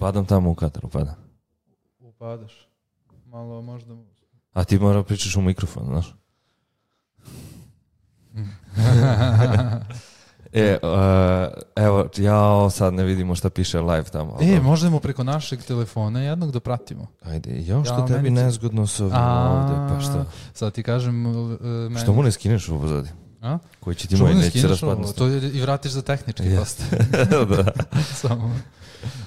Upadam tamo u Kataru, upadam. Upadaš. Malo možda... A ti mora pričaš u mikrofon, znaš? Evo, sad ne vidimo šta piše live tamo. Možemo preko našeg telefona jednog da pratimo. Ajde, što tebi nezgodno s ovim ovde, pa šta? Sad ti kažem... Što mu ne skineš u pozadi? A? Koji će ti moj neće se raspadne. To i vratiš za tehnički post. Da. Samo.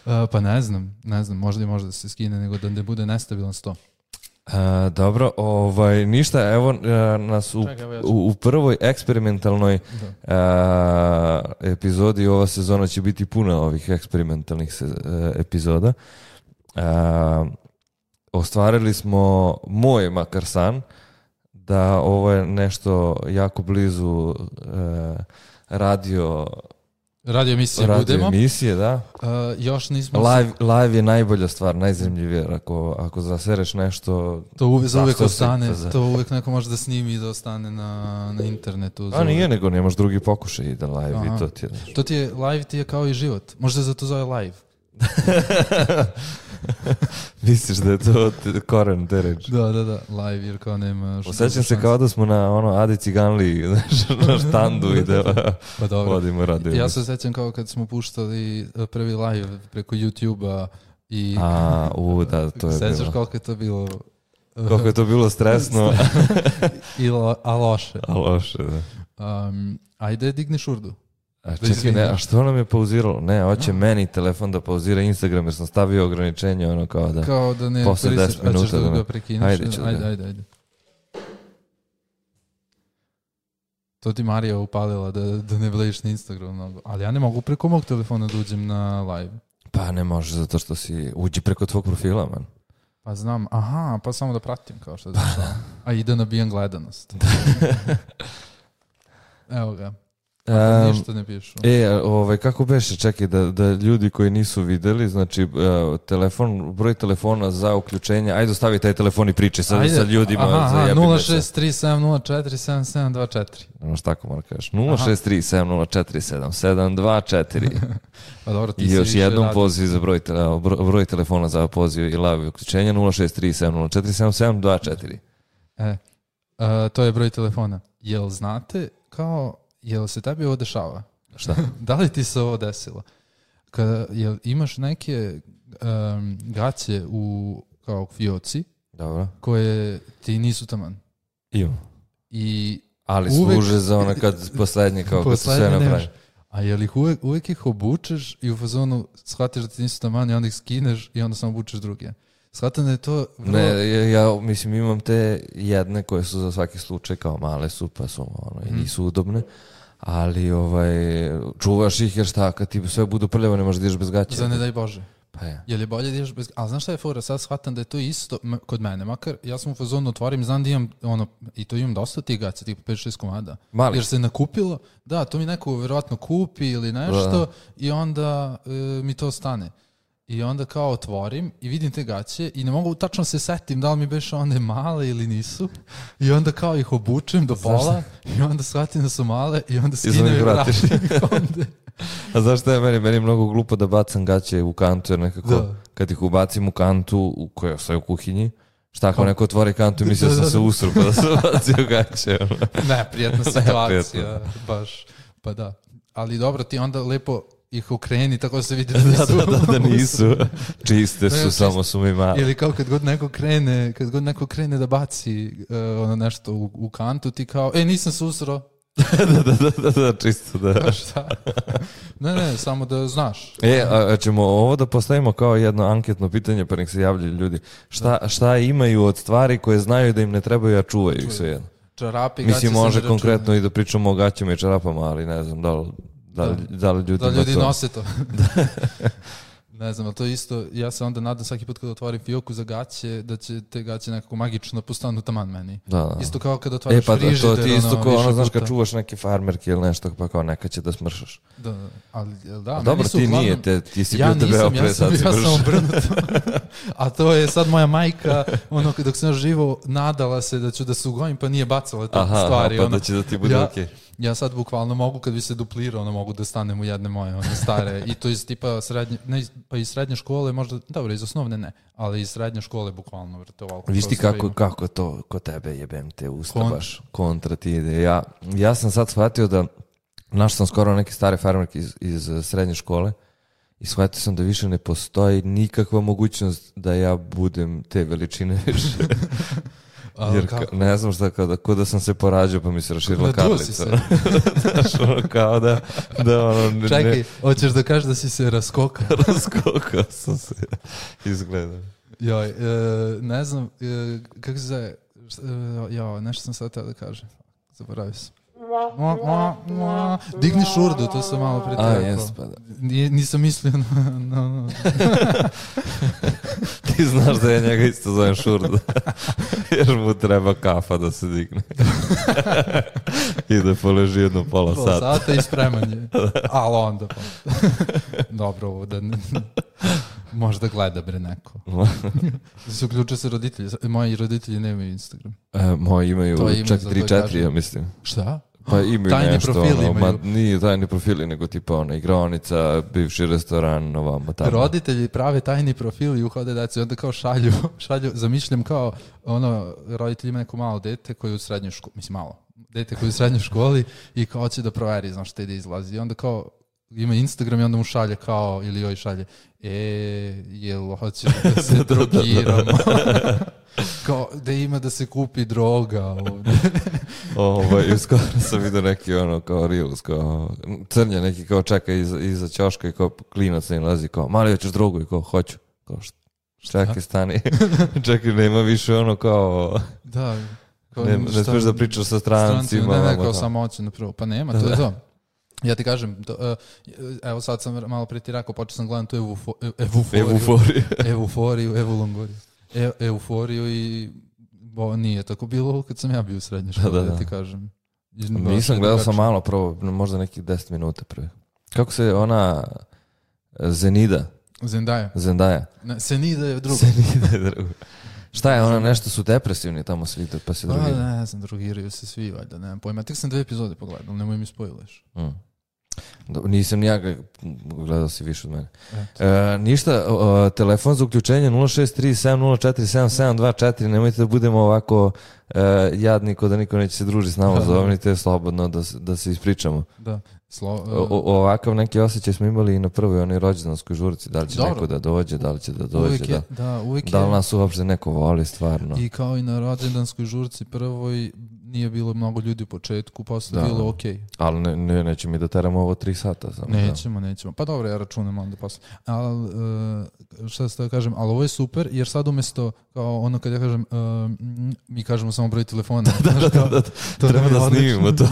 Pa ne znam, možda da se skine, nego da ne bude nestabilan sto. Dobro, ništa, evo nas u prvoj eksperimentalnoj epizodi. Ova sezona će biti puna ovih eksperimentalnih epizoda. Ostvarili smo makar san da ovo je nešto jako blizu radio emisije, da. Još nismo... Live je najbolja stvar, najzanimljivija. Ako zasereš nešto... To uvijek ostane, to uvijek neko može da snimi i da ostane na internetu. A nije, nego nemaš drugi pokušaj da live i to ti je... To ti je, live ti je kao i život. Možda se to zove live. Misliš da je to koren te reči? Da, live, jer kao nema... Osjećam se kao da smo na Adi Ciganli, na štandu i da vodimo radio. Ja se osjećam kao kad smo puštali prvi live preko YouTube-a i... Da, to je bilo. Sjećaš koliko je to bilo... Koliko je to bilo stresno. A loše. Da. Ajde, digneš urdu. A što nam je pauziralo? Ne, hoće meni telefon da pauzira Instagram, jer sam stavio ograničenje, kao da ne posle 10 minuta. A ćeš da ga prekineš? Ajde. To ti Marija upalila da ne vlejiš na Instagram mnogo. Ali ja ne mogu preko mog telefona da uđem na live. Pa ne možeš, zato što uđi preko tvog profila, man. Pa znam, pa samo da pratim kao što da šao. A ide nabijam gledanost. Evo ga. Ništa ne pišu. Kako beše, čekaj, da ljudi koji nisu videli, znači broj telefona za uključenje, ajde ostavi taj telefon i priče sa ljudima. 06370477724. Znaš tako mora kažeš, 06370477724. Pa dobro, ti i još jednom poziv za broj telefona za poziv i live uključenja, 06370477724. To je broj telefona. Jel znate kao... Jel se tebi ovo dešava? Šta? Da li ti se ovo desilo? Jel imaš neke gaće kao fioci, dobro, koje ti nisu taman? Imam. Ali služe za ono kad poslednje kao kad se sve napravi. A jel uvijek ih obučeš i u fazonu shvatiš da ti nisu taman i onda ih skineš i onda samo obučeš druge? Shvatam da je to... ja mislim imam te jedne koje su za svaki slučaj kao male su, pa su i nisu udobne, ali čuvaš ih jer šta, kad ti sve budu prljavo ne možeš da ideš bez gaća. Za ne daj Bože. Pa je. Je li bolje da ideš bez... Ali znaš šta je fora? Sad shvatam da je to isto kod mene, makar ja sam u fazonu otvorim, znam da imam i to imam dosta tih gaća, tipa 5-6 komada. Mali. Jer se nakupilo, da, to mi neko verovatno kupi ili nešto i onda mi to stane. I onda kao otvorim i vidim te gaće i ne mogu tačno se setim da li mi beše one male ili nisu. I onda kao ih obučem do pola i onda shvatim da su male i onda skinem i vratim onda. A znaš šta je meni je mnogo glupo da bacam gaće u kantu, jer nekako kad ih ubacim u kantu koja ostaje u kuhinji, šta ako neko otvori kantu i mislio sam se usru pa da sam bacio gaće. Neprijatna situacija, baš, pa da. Ali dobro, ti onda lepo ih okreni, tako se vidi da nisu. Čiste su, samo su mi mali. Ili kao kad god neko krene da baci nešto u kantu, ti kao, nisam se usro. Da, čisto da. Šta? Ne, samo da znaš. A ćemo ovo da postavimo kao jedno anketno pitanje, pa nek se javljaju ljudi. Šta imaju od stvari koje znaju da im ne trebaju, a čuvaju ih sve jedno? Čarapi, gaće. Mislim, može konkretno i da pričamo o gaćama i čarapama, ali ne znam da li ljudi nose to. Ne znam, ali to isto, ja se onda nadam svaki put kada otvorim fioku za gaće, da će te gaće nekako magično postanu taman meni. Da. Isto kao kada otvoriš frižider. To ti isto kao znaš kad čuvaš neke farmerke ili nešto, pa kao neka će da smršaš. Da, ali da. Dobro, ti nije, ti si bio tebe opresat. Ja sam obrnuto. A to je sad moja majka, dok sam živo, nadala se da ću da se ugojim, pa nije bacala te stvari. Pa da će da ti bude okej. Ja sad bukvalno mogu, kad bi se duplirao, mogu da stanem u jedne moje stare. I to iz tipa srednje, pa iz srednje škole, možda, dobro, iz osnovne ne, ali iz srednje škole bukvalno vrtovalo. Viš ti kako to kod tebe jebem te usta baš kontra ti ide. Ja sam sad shvatio da našao sam skoro neke stare farmerke iz srednje škole i shvatio sam da više ne postoji nikakva mogućnost da ja budem te veličine više. Jer ne znam šta, kao da sam se porađao pa mi se raširila karlica. Znaš, ono kao da ono... Čekaj, hoćeš da kažeš da si se raskokao? Raskokao sam se, izgledao. Joj, ne znam, kako se zove, nešto sam sad teo da kažem, zaboravio sam. Digni šurdu, to sam malo pre tebe rekao. Pa da. Nisam mislio na... Ti znaš da ja njega isto zovem šurdu. Jer mu treba kafa da se digne. I da poleži jedno pola sata. Pola sata i spremanje. Ali onda pa. Dobro, ovo da možda gleda bre neko. Se uključe se roditelji. Moji roditelji nemaju Instagram. Moji imaju čak 3-4, ja mislim. Šta? Pa imaju tajni nešto, profili imaju. Nije tajni profili, nego tipa igraonica, bivši restoran, ovamo tamo. Roditelji prave tajni profili i uhode deci, onda kao šalju, zamišljam kao, roditelji ima neko malo dete koji je u srednjoj školi, mislim malo, dete koji je u srednjoj školi i kao hoće da proveri, znaš šta ide izlazi. I onda kao, ima Instagram i onda mu šalje kao, ili joj šalje, jel hoće da se drogiramo? Kao, da ima da se kupi droga ovdje. I skoro sam vidio neki kao reels, kao crnja neki kao čeka iza ćoška i kao klinac ne lazi kao, mali hoćeš drogu i kao, hoću. Kao, čekaj, stani. Čekaj, nema više kao... Da. Kao, ne smiješ da pričaš sa strancima. Ne, kao samo hoću na prvo. Pa nema, to je to. Ja ti kažem, evo sad sam malo pre ti rekao, počeo sam gledam tu euforiju i nije tako bilo kad sam ja bio u srednjoj školi, da ti kažem. Nisam gledao sam malo, prvo, možda nekih 10 minuta prvi. Kako se ona Zendaya. Ne, Senida je drugo. Šta je ona, nešto su depresivni tamo svi, pa se drugiraju? Ne znam, drugiraju se svi, valjda, nemam pojma. Tek sam 2 epizode pogledao, nemoj mi spojiliš. Nisam ja gledao si više od mene. Ništa, telefon za uključenje 063-704-7724, nemojte da budemo ovako jadni ko da niko neće se družiti s nama, zovnite slobodno da se ispričamo. Da. Ovakav neki osjećaj smo imali i na prvoj onoj rođendanskoj žurci, da li će neko da dođe, da li će da dođe, da li nas uopšte neko voli stvarno. I kao i na rođendanskoj žurci prvoj nije bilo mnogo ljudi u početku, posle bilo okej. Ali neće mi da teramo ovo 3 sata. Nećemo. Pa dobro, ja računam onda posle. Ali, šta se da kažem, ali ovo je super, jer sad umjesto, kao ono kad ja kažem, mi kažemo samo broj telefona. Da. Treba da snimimo to.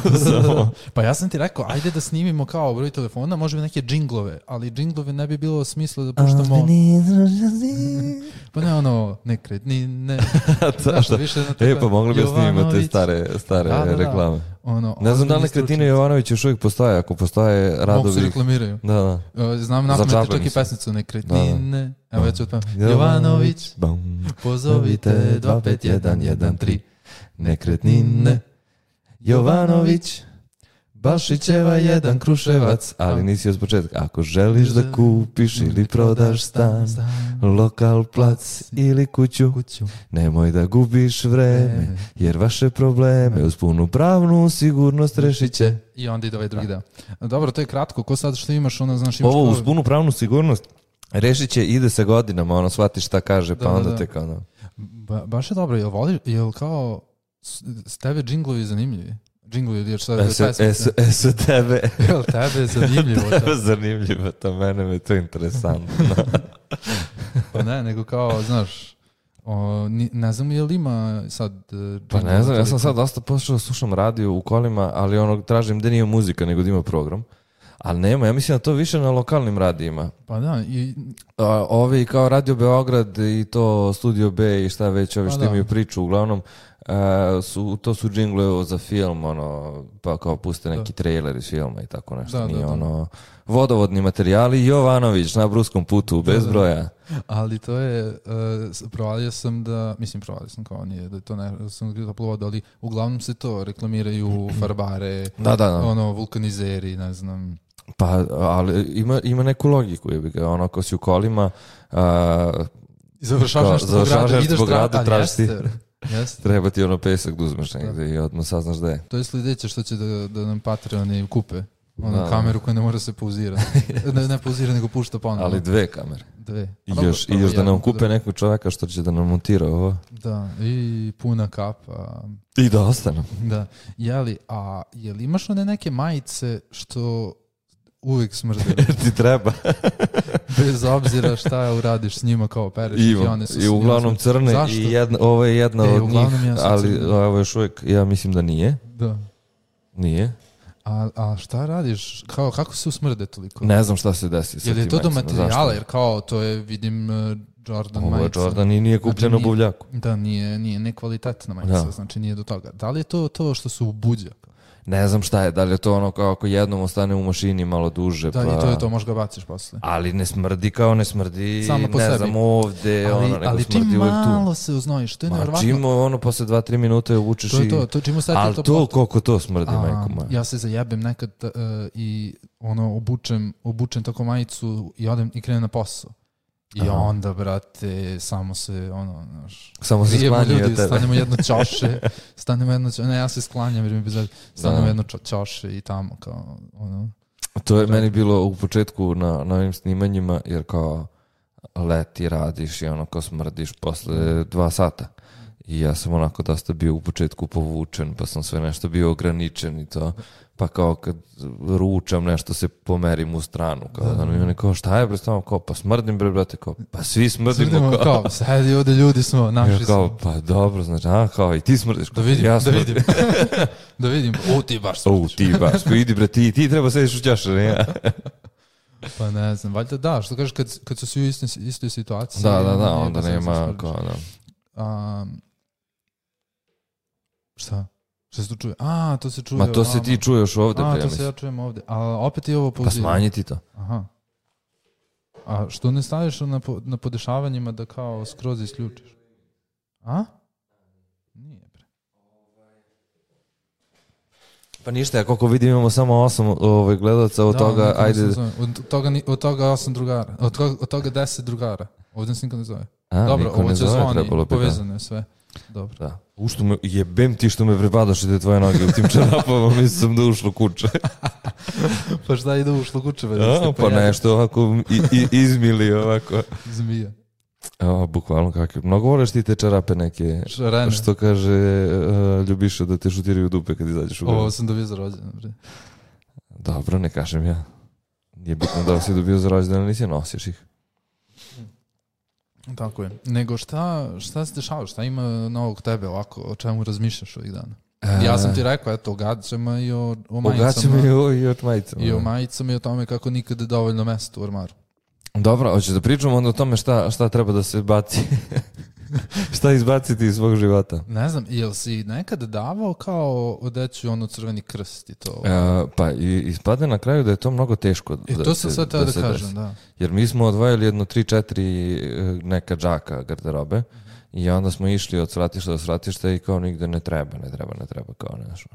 Pa ja sam ti rekao, ajde da snimimo kao broj telefona, možda neke džinglove, ali džinglove ne bi bilo smisla da puštamo... Pa ne nekretnine. Pa mogli bi snimimo te stare reklame. Ne znam da li nekretnine Jovanović još uvijek postoje, ako postoje radovi. Mogu se reklamiraju. Da. Znam napamet čak i pesnicu nekretnine. Evo ja ću otpavim. Jovanović, pozovite 25113. Nekretnine. Jovanović, Balšićeva 1 Kruševac, ali nisi od početka. Ako želiš da kupiš ili prodaš stan, lokal, plac ili kuću, nemoj da gubiš vreme, jer vaše probleme uz punu pravnu sigurnost rešit će. I onda ide ovaj drugi deo. Dobro, to je kratko, ko sad što imaš, znaš... Ovo uz punu pravnu sigurnost rešit će, ide se godinama, shvatiš šta kaže, pa onda te kao... Baš je dobro, jel kao s tebe džinglovi zanimljivi? Džinglovi, jer šta su tebe. Jel, tebe je zanimljivo. Tebe je zanimljivo, mene mi je to interesantno. Pa ne, nego kao, znaš, ne znam je li ima sad... Pa ne znam, ja sam sad dosta počeo da slušam radio u kolima, ali tražim da nije muzika, nego da ima program. Ali nema, ja mislim da to više na lokalnim radijima. Pa da. Ovi kao Radio Beograd i to Studio B i šta već, ovi što imaju priču, uglavnom, to su džingle za film, pa kao puste neki trailer iz filma i tako nešto. Nije vodovodni materijali, Jovanović na Bruskom putu, bez broja. Ali to je, provalio sam kao nije, da to ne sam uploadao, ali uglavnom se to reklamiraju farbare, vulkanizeri, ne znam. Pa, ali ima neku logiku, je ga, ono, ako si u kolima, završavaš nešto po gradu, tražiš ti, jeste. treba ti ono pesak da uzmeš negde i odmah saznaš da je. To je sljedeće što će da nam Patreoni kupe. Onu kameru koja ne mora se pauzirati. ne pauzira, nego pušta ponovno. Ali 2 kamere. 2. I još da nam kupe nekog čoveka što će da nam montira ovo. Da, i puna kapa. I da ostane. Da. Jel imaš one neke majice što uvijek smrde? Ti treba. Bez obzira šta uradiš s njima, kao pereš. I uglavnom crne. Zašto? Ovo je jedna od njih, ali ovo još uvijek, ja mislim da nije. Da. Nije. A šta radiš? Kako se usmrde toliko? Ne znam šta se desi sa tim majicama. Je li to do materijala? Zašto? Jer kao to je, vidim, Jordan ovo majica. Ovo je Jordan i nije kupljeno u buvljaku. Da, nije nekvalitetna majica, znači nije do toga. Da li je to što su u buđak? Ne znam šta je, da li je to ono kao ako jednom ostane u mašini malo duže. Da, pa... i to možeš ga baciš posle. Ali ne smrdi kao ne smrdi, samo po sebi. Znam ovde, ali čim malo se uznojiš, to je nevjerovatno. Čim posle 2-3 minute uvučeš to čim usetio ali to koliko to smrdi, majko moja. Ja se zajebem nekad i obučem tako majicu i odem i krenem na posao. I onda, brate, samo se sklanjaju od tebe. Stanemo jedno čoše, ne, ja se sklanjam jer mi bi stanemo jedno čoše i tamo kao, To je meni bilo u početku na ovim snimanjima, jer kao leti, radiš i kao smrdiš posle 2 sata. I ja sam onako dosta bio u početku povučen, pa sam sve nešto bio ograničen i to. Pa kao kad ručam nešto se pomerim u stranu. Kao da mi oni kao šta je bre stavno, kao pa smrdim bre brate, kao pa svi smrdimo kao sedi ovde ljudi smo, naši smo. Kao pa dobro, znači kao i ti smrdiš. Da vidim, ja smrdim. Da vidim, ti baš smrdiš. Ti baš, idi bre ti treba sediš u ćaši, ne ja. Pa ne znam, valjda da, što kažeš kad su svi u istoj situaciji. Da, onda nema kao da. Šta? Što se tu čuje? To se čuje. Ma to se ti čuješ ovde. To se ja čujem ovde. A opet je ovo pauzirano. Pa smanji ti to. Aha. A što ne staviš na podešavanjima da kao skroz isključiš? Nije bre. Pa ništa, ja koliko vidim imamo samo 8 gledalaca, od toga ajde... Od toga 8 drugara. Od toga 10 drugara. Ovdje se niko ne zove. Dobro, ovo će zvoni, povezano je sve. Dobro. Da. Jebem ti što me prebadošite tvoje noge u tim čarapama, mislim da ušlo kuće. Pa šta ide ušlo kuće? Pa nešto ovako izmili ovako. Zmija. Bukvalno kakve. Mnogo voliš ti te čarape neke, šarene. Što kaže Ljubiša da te šutiraju dupe kad izađeš u grad. Ovo sam dobio za rođendan. Dobro, ne kažem ja. Nije bitno da si dobio za rođendan, nisi nosiš ih. Tako je. Nego šta se dešava? Šta ima novog tebe ovako? O čemu razmišljaš ovih dana? Ja sam ti rekao, eto, o gaćama i o majicama. O gaćama i o majicama. I o majicama i o tome kako nikada je dovoljno mesta u ormaru. Dobro, hoćeš da pričamo onda o tome šta treba da se baci? Šta izbaciti iz svog života? Ne znam, jel si nekad davao kao odeću crveni krst i to? Pa ispadne na kraju da je to mnogo teško. To sam sad da kažem, da. Jer mi smo odvajali jedno 3-4 neka džaka garderobe i onda smo išli od svratišta do svratišta i kao nigde ne treba kao nešto.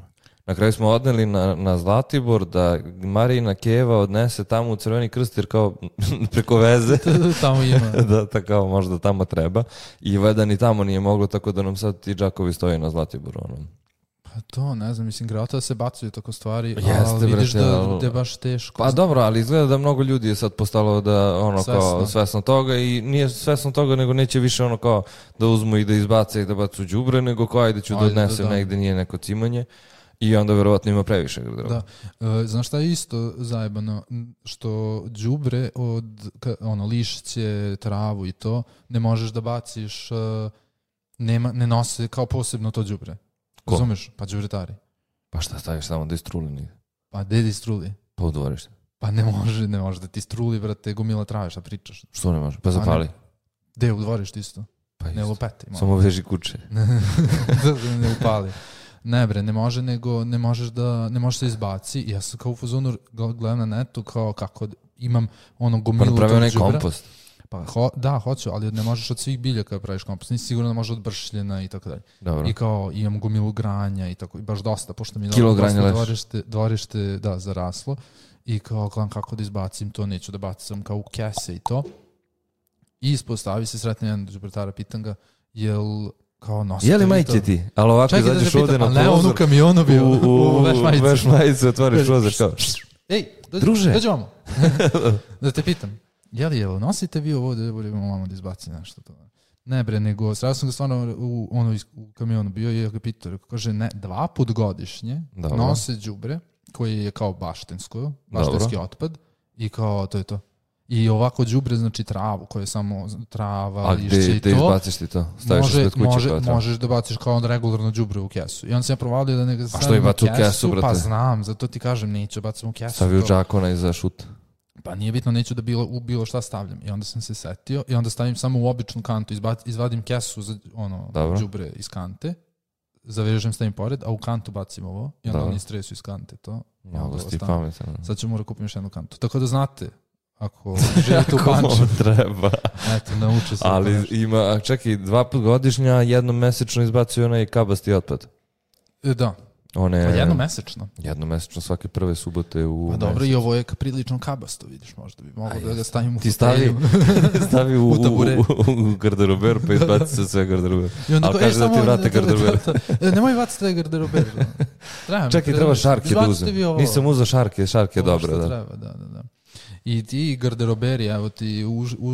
Na kraju smo odneli na Zlatibor da Marina Keva odnese tamo u Crveni krst jer kao preko veze tamo ima. Da kao možda tamo treba i valjda ni tamo nije moglo, tako da nam sad ti džakovi stoje na Zlatiboru. Pa to, ne znam, mislim, grata da se bacaju tako stvari, ali vidiš da je baš teško. Pa dobro, ali izgleda da mnogo ljudi je sad postalo da kao svesno toga i nije svesno toga, nego neće više kao da uzmu i da izbace i da bacu đubre, nego kao ajde ću da odnesem negde, nije neko cimanje. I onda verovatno ima previše garderobe. Da. Znaš šta je isto zajebano? Što đubre od lišće, travu i to, ne možeš da baciš, ne nose kao posebno to đubre. Ko? Razumeš? Pa đubretari. Pa šta staviš samo da istruli? Pa gde da istruli? Pa u dvorište. Pa ne može da ti struli, brate, gomila trave, šta pričaš? Što ne može? Pa zapali. Gde u dvorište isto? Pa isto. Ne lopeti. Samo veži kuće. Ne upali. Ne bre, ne može, nego ne može se izbaci. I ja sam kao u fazonu gledam na netu kao kako imam gomilu pa napravio onaj kompost. Pa da, hoću, ali ne možeš od svih biljaka praviš kompost. Nisi sigurno da može od bršljena i tako dalje. Dobro. I kao imam gomilu granja i tako, i baš dosta, pošto mi Kilo granja dvorište, da, zaraslo. I kao gledam kako da izbacim to, neću da bacam kao u kese i to. I ispostavi se, sretno jedan đubretara, pitan ga, jel kao nosite... Je li majke ti? Ali ovako izađeš ovde na prozor. Ali ne, on u kamionu bio, u veš majicu. U veš majicu otvoriš prozor kao... Ej, druže, dođi vamo. Da te pitam, je li nosite vi ovo da budemo vamo da izbaci nešto to? Ne bre, nego srao sam ga stvarno u kamionu bio i ja ga pitao, kaže ne, 2 put godišnje nose đubre koji je kao baštenski otpad i kao to je to. I ovako đubre znači travu, koja je samo trava, lišće i to. A gde izbaciš ti to? Staviš ispred kuće kao travu? Možeš da baciš kao onda regularno đubre u kesu. I onda sam ja provalio da ne stavim u kesu, brate? Pa znam, zato ti kažem, neću bacim u kesu. Stavi u džakona i za šut. Pa nije bitno, neću da bilo šta stavljam. I onda sam se setio i onda stavim samo u običnu kantu, izvadim kesu za đubre iz kante, zavežem, stavim pored, a u kantu bacim ovo i onda oni stresu iz kante to. Mnogo si pametan. Sad ću morati kupim još jednu kantu. Tako da znate, ako živite u Pančevu, treba. Eto, nauče se. Ali ima, čekaj, 2 put godišnja, jednom mesečno izbacuju onaj kabasti otpad. Da. Pa jednomesečno. Jednomesečno, svake prve subote u... Pa dobro, i ovo je prilično kabasto, vidiš, možda bi mogao da ga stavim u fotelju. Stavi u garderober, pa izbaci se sve garderober. Ali kaže da ti vrate garderober. Nemoj baciti taj garderober. Čekaj, treba šarke da uzem. Nisam uzeo šarke je dobro. Da. I ti garderoberi, evo ti,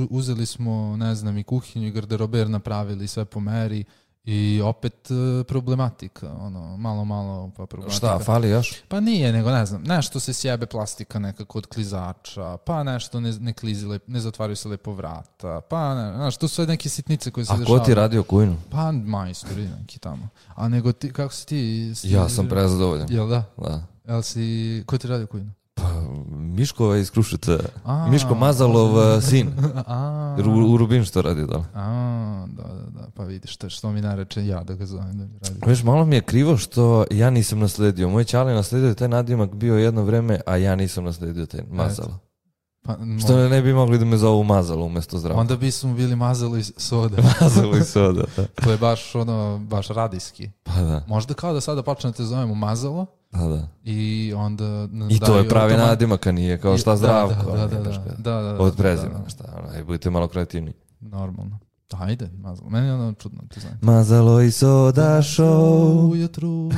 uzeli smo, ne znam, i kuhinju i garderober napravili sve po meri. I opet problematika, malo pa problematika. Šta, fali još? Pa nije, nego ne znam, nešto se sjebe plastika nekako od klizača, pa nešto ne klizi, ne zatvaraju se lepo vrata, pa znaš, to su sve neke sitnice koje se dešavaju. A ko ti radio kujnu? Pa majstori neki tamo. A nego ti, kako si ti... Ja sam prezadovoljan. Jel da? Da. Jel si, ko ti radio kujnu? Pa, Miškova iz Kruševca. Miško Mazalov sin. U Rubin što radi, da. Da, pa vidiš, što mi nareče ja da ga zovem. Veš, malo mi je krivo što ja nisam nasledio. Moj ćale nasledio taj nadimak bio jedno vreme, a ja nisam nasledio taj Mazalo. Što ne bi mogli da me zovu Mazalo umjesto Zdravko. Onda bismo bili Mazalo i soda. Mazalo i soda, da. To je baš radijski. Pa da. Možda kao da sada počnete zovemo Mazalo. Da. I onda... I to je pravi nadimak, a nije kao šta Zdravko. Da. Od prezimena, šta. Budite malo kreativni. Normalno. Ajde, Mazalo. Meni je ono čudno, ti znam. Mazalo i soda show. Ujutru.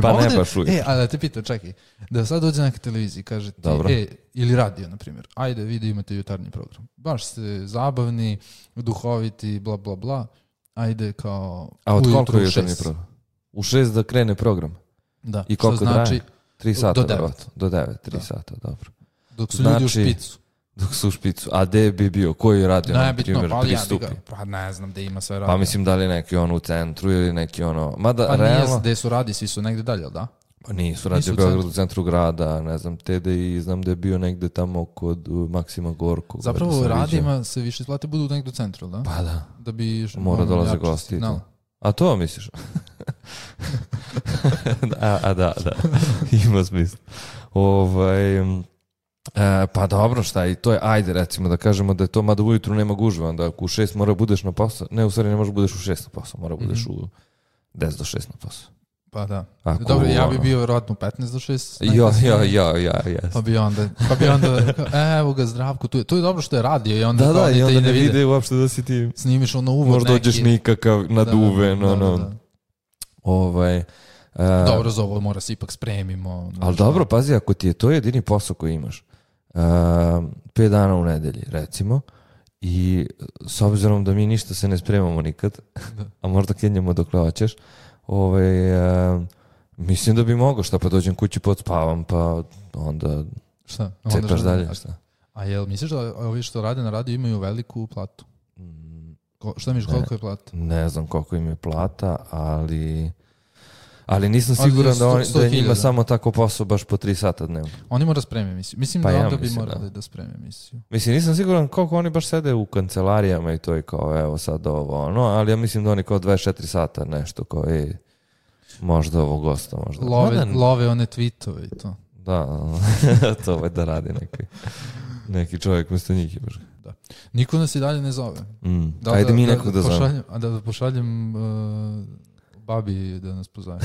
Pa ne baš ujutru. Ali da te pitam, čekaj, da sad dođe neka televizija i kaže ti, ili radio, na primjer, ajde, vi da imate jutarnji program. Baš ste zabavni, duhoviti, bla, bla, bla. Ajde kao... A od koliko je jutarnji program? U 6 da krene program. Da. I koliko znači, traje? 3 sata. Do 9. Do 9, 3 sata, dobro. Dok su ljudi u špicu. Dok su u špicu. A gde bi bio? Koji je radio? Nebitno, pa ne znam gde ima sve radio. Pa mislim da li neki u centru ili neki Mada, pa realno... nije gde su radi, svi su negde dalje, da? Pa nisu radio Beograd u centru grada, ne znam, i znam da je bio negde tamo kod Maksima Gorkog. Zapravo u radima se više isplate budu negde u centru, da? Pa da. Da bi... Mora dolaze gosti. A to misliš? Da. Ima smisla. Pa dobro, šta i to je, ajde recimo da kažemo da je to, mada ujutru nema gužve, onda ako u 6 mora budeš na posao, ne u stvari ne možeš budeš u 6 na posao, mora budeš u 10 do 6 na posao. Pa da. Dobro, ja bi bio vjerojatno 15 do 6. Ja. Pa bi onda, evo ga Zdravko, to je dobro što je radio i onda da, i onda ne vide uopšte da si ti... Snimiš uvod možda dođeš nikakav naduven, Dobro, za ovo mora se ipak spremimo. Ali dobro, pazi, ako ti je to jedini posao koji imaš, 5 dana u nedelji, recimo, i s obzirom da mi ništa se ne spremamo nikad, a možda kenjamo dok hoćeš, mislim da bi mogao, šta pa dođem kući podspavam, pa onda cepaš dalje. Šta? A jel misliš da ovi što rade na radiju imaju veliku platu? Šta misliš, koliko je plata? Ne znam koliko im je plata, ali nisam siguran da je njima samo tako posao baš po 3 sata dnevno. Oni moraju spremiti emisiju. Mislim da onda bi morali da spreme emisiju. Mislim, nisam siguran koliko oni baš sede u kancelarijama i to je kao, evo sad ovo, ali ja mislim da oni kao 24 sata nešto, kao, možda ovo gosta, možda. Love one tweetove i to. Da, to da radi neki čovjek mjesto njih je baš. Da. Niko nas i dalje ne zove. Ajde mi nekog da zovem. Da pošaljem babi da nas pozove.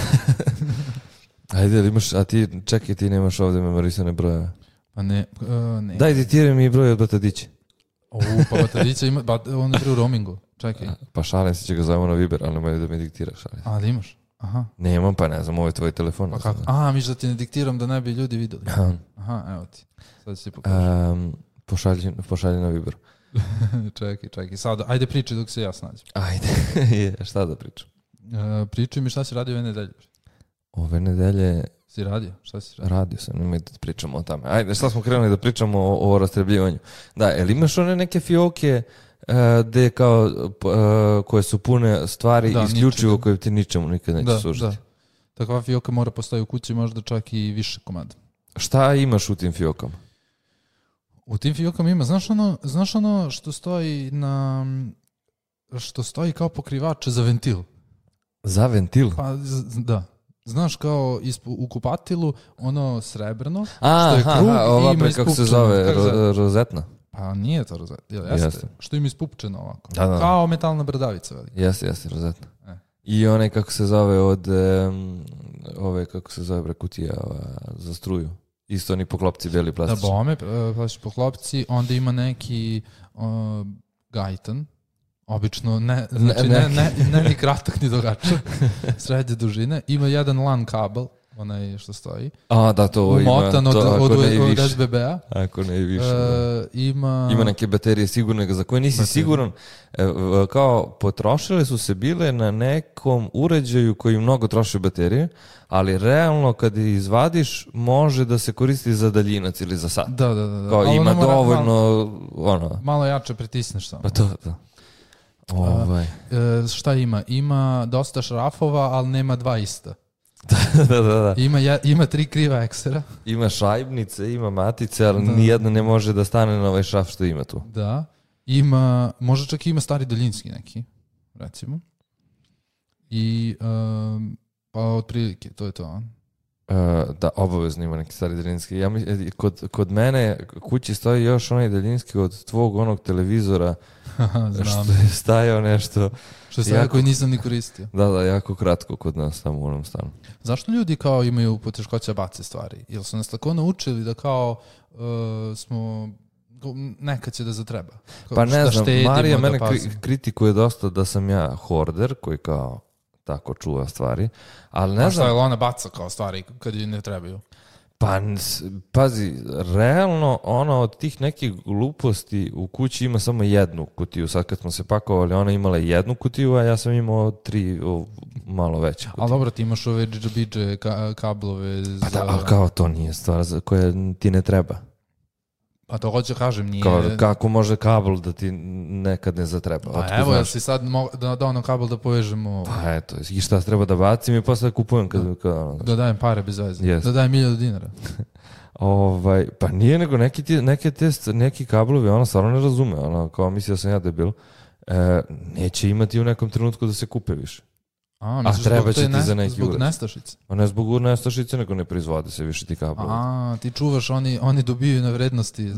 Ajde, imaš, a ti, čekaj, ti nemaš ovde memorisane brojeve. Pa ne. Daj, diktiraj mi broj od Batadića. Pa Batadića ima, on je u roamingu. Čekaj. Pa šalim se, će ga zovemo na Viber, ali nemoj da mi diktiraš. Ali imaš? Aha. Nemam, pa ne znam, ovo je tvoj telefon. Pa kako? Miš da ti ne diktiram da ne bi ljudi videli. Aha, evo ti. Sad ću ti pokažem. Pošalji na Viber. Čekaj. Sad, ajde priči dok se ja snađem. Ajde, šta da pričam? Pričaj mi šta si radio ove nedelje. Ove nedelje... Si radio? Šta si radio? Radio sam, nemoj da pričamo o tome. Ajde, šta smo krenuli da pričamo o rastrebljivanju? Da, jel imaš one neke fioke gde kao koje su pune stvari isključivo koje ti ničemu nikad neće služiti? Da. Takva fioka mora postoji u kući, možda čak i više komada. Šta imaš u tim fiokama? U tim fiokama ima, znaš ono što stoji što stoji kao pokrivač za ventil? Za ventil? Pa, da. Znaš kao u kupatilu ono srebrno, što je krug i ima ispupčeno. Kako se zove, rozetna? Pa nije to rozetna, jeste. Što ima ispupčeno ovako. Da. Kao metalna bradavica. Jeste, rozetna. I onaj kako se zove od ove kako se zove kutija za struju. Isto oni poklopci beli plastični. Da, bome, plastični poklopci, onda ima neki gajtan. Obično, ne ni kratak ni dugačak, srednje dužine. Ima jedan LAN kabel, onaj što stoji. Da, to ima. Umotan od SBB-a. Ako ne i više. Ima neke baterije sigurne za koje nisi siguran. Kao potrošile su se bile na nekom uređaju koji mnogo troši baterije, ali realno kad je izvadiš može da se koristi za daljinac ili za sat. Da. Kao ima dovoljno... Malo jače pritisneš samo. Pa to. Šta ima? Ima dosta šrafova, ali nema dva ista. Da. Ima 3 kriva eksera. Ima šajbnice, ima matice, ali nijedna ne može da stane na ovaj šraf što ima tu. Da. Možda čak i ima stari daljinski neki, recimo. I pa otprilike, to je to. Da, obavezno ima neki stari daljinski. Kod mene kući stoji još onaj daljinski od tvog onog televizora što je stajao nešto. Što je stajao koji nisam ni koristio. Da, jako kratko kod nas tamo u onom stanu. Zašto ljudi kao imaju poteškoća bace stvari? Jel su nas tako naučili da kao smo nekad će da zatreba? Pa ne znam, Marija mene kritikuje dosta da sam ja horder koji kao tako čuva stvari, ali ne znam... Šta je ona baca kao stvari kad joj ne trebaju? Pa, pazi, realno ona od tih nekih gluposti u kući ima samo jednu kutiju. Sad kad smo se pakovali, ona imala jednu kutiju, a ja sam imao 3 malo veće kutije. Ali dobro, ti imaš ove džidžabidže kablove za... Pa da, ali kao to nije stvar koja ti ne treba. Pa to hoću kažem, nije... Kako može kabel da ti nekad ne zatreba? Pa evo, ja si sad da ono kabel da povežemo... Pa eto, i šta treba da bacim i posle kupujem da dajem pare bez veze, da dajem 1000 dinara. Pa nije nego neki kablovi, ona stvarno ne razume, ona kao mislio sam ja debil, neće imati u nekom trenutku da se kupe više. A treba će ti za neki zbog nestašice? A ne zbog nestašice, nego ne proizvode se više ti kablovi. Ti čuvaš, oni dobiju na vrednosti.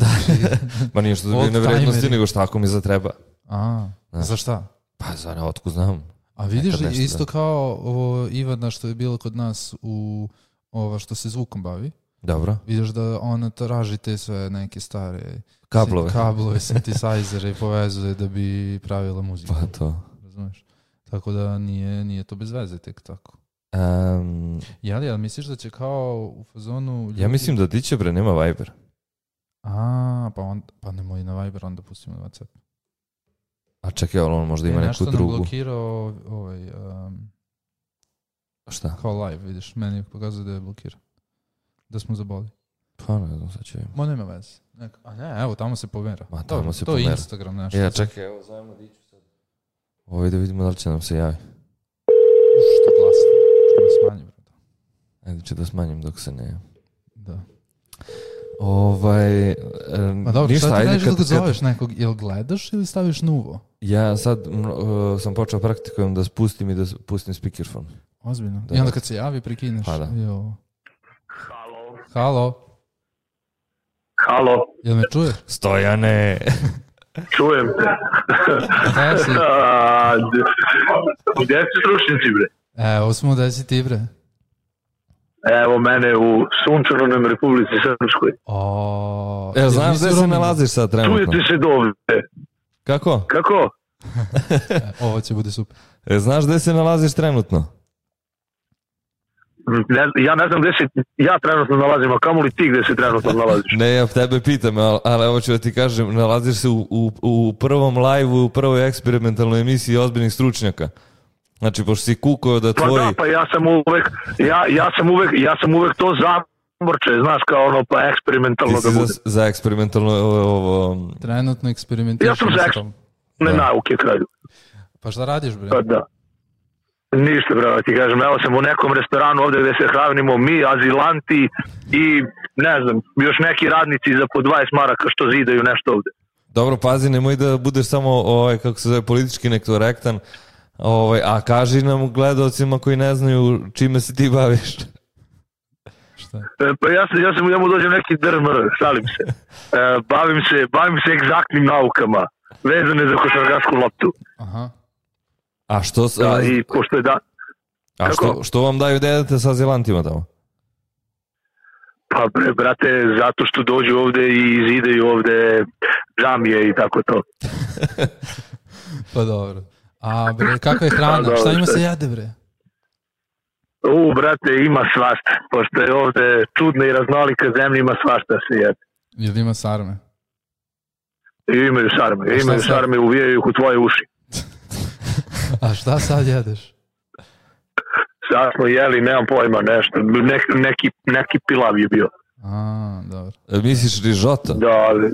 Ma nije što dobiju na vrednosti, nego šta ako mi zatreba. Za šta? Pa za otku znam. A vidiš isto kao Ivana što je bila kod nas što se zvukom bavi. Dobro. Vidiš da ona traži te sve neke stare kablove, synthesizere i povezuje da bi pravila muziku. Pa to. Razumeš? Tako da nije to bez veze tek tako. Ali misliš da će kao u fazonu... Ja mislim da Diće bre nema Viber. Pa nemoj na Viber, onda pustimo na WhatsApp. A čekaj, on možda ima neku drugu. Nešto nam blokirao šta? Kao live, vidiš, meni pokazuje da je blokirao. Da smo zaboli. Pa ne znam, sad će imati. Ma nema veze. Evo, tamo se pomera. To je Instagram nešto. Ja, čekaj, evo, zajmo Diću sad. Da vidimo da li će nam se javi. Što glasno. Što da smanjim. Ajde ću da smanjim dok se ne... Da. Ma dobro, šta ti kažeš dok zoveš nekog? Jel gledaš ili staviš na uvo? Ja sad sam počeo praktikujem da spustim i da pustim speakerphone. Ozbiljno. I onda kad se javi prekineš. Pa da. Halo. Halo. Jel me čuješ? Stojane. Čujem te. Gdje si stručnici, bre? Evo smo, gde si ti, bre? Evo mene u sunčanom Republici Srpskoj. Evo, znaš gde se nalaziš sad trenutno? Čujete se do ovde. Kako? Ovo će bude super. Znaš gde se nalaziš trenutno? Ja ne znam gde se ja trenutno nalazim, a kamo li ti gde se trenutno nalaziš? Ne, ja tebe pitam, ali ovo ću da ti kažem, nalaziš se u prvom live-u, u prvoj eksperimentalnoj emisiji ozbiljnih stručnjaka. Znači, pošto si kukao da tvoji... Pa da, pa ja sam uvek to zamorče, znaš, kao ono, pa eksperimentalno da bude. Za eksperimentalno ovo... Trenutno eksperimentalno. Ja sam za eksperimentalne nauke kralju. Pa šta radiš, bre? Pa da. Ništa, bravo, ti kažem, evo sam u nekom restoranu ovde gde se hranimo mi, azilanti i, ne znam, još neki radnici za po 20 maraka što zidaju nešto ovde. Dobro, pazi, nemoj da budeš samo, kako se zove, politički nekorektan, a kaži nam gledalcima koji ne znaju čime se ti baviš. Šta? Pa ja mu dođem neki drmr, šalim se. Bavim se egzaktnim naukama, vezane za košarkašku loptu. Aha. A što... Da, i pošto je da... A što vam daju dedete sa azilantima tamo? Pa bre, brate, zato što dođu ovde i zidaju ovde džamije i tako to. Pa dobro. A bre, kakva je hrana? Šta ima se jede, bre? Brate, ima svašta. Pošto je ovde čudna i raznolika zemlja, ima svašta se jede. Jel ima sarme? Imaju sarme, uvijaju ih u tvoje uši. A šta sad jedeš? Sad smo jeli, nemam pojma, nešto. Neki pilav je bio. Dobro. Misliš rižota? Da, ali...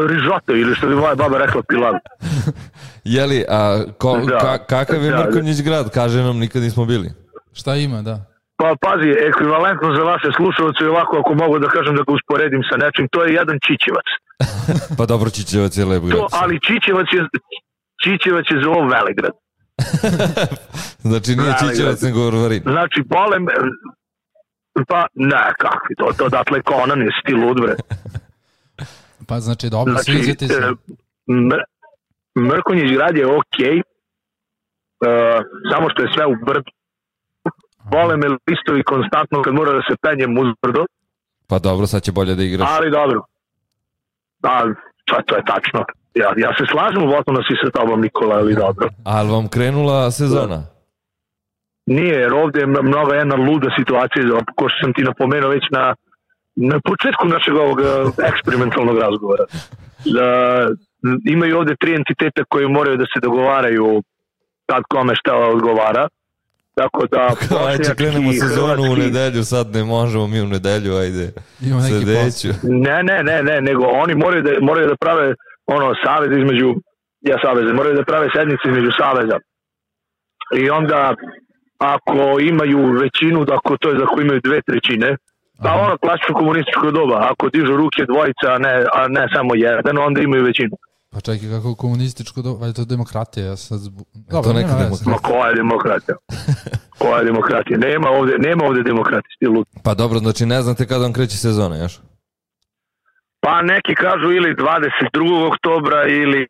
Rižota, ili što bi moja baba rekla pilav. Jeli, a kakav je Mrkonjić grad? Kaže nam, nikad nismo bili. Šta ima, da? Pa pazi, ekvivalentno za vaše slušalce je ovako, ako mogu da kažem da ga usporedim sa nečim, to je jedan Čičevac. Pa dobro, Čičevac je lep grad. Ali Čičevac je za ovo Velegrad. Znači nije Čičevac nego Varvarin. Znači, pa ne, kakvi to odatle Conan, jesi ti lud, bre. Pa znači, dobro, sviđa ti se. Mrkonjić grad je okej, samo što je sve u brdu. Vole me listovi konstantno kad mora da se penjem uz brdo. Pa dobro, sad će bolje da igraš. Ali dobro. To je tačno. Ja se slažem u potpunosti sa tobom, Nikola, ali dobro. Ali vam krenula sezona? Nije, jer ovdje je mnogo jedna luda situacija, ko što sam ti napomenuo već na početku našeg ovog eksperimentalnog razgovora. Imaju ovdje 3 entiteta koji moraju da se dogovaraju kad kome šta odgovara. Tako da... Ajde, krenemo sezonu u nedelju, sad ne možemo mi u nedelju, ajde. Sledeću. Ne, nego oni moraju da prave savez između, moraju da prave sednice između saveza. I onda, ako imaju većinu, to je za koju imaju 2/3, pa klasično komunističko doba, ako dižu ruke dvojica, a ne samo jedan, onda imaju većinu. Pa čekaj, kako komunističko doba, je to demokratija, ja sad... To neka demokratija. Ma koja je demokratija? Nema ovde demokratije, sti lud. Pa dobro, znači ne znate kada vam kreće sezona, još? Pa neki kažu ili 22. oktobra ili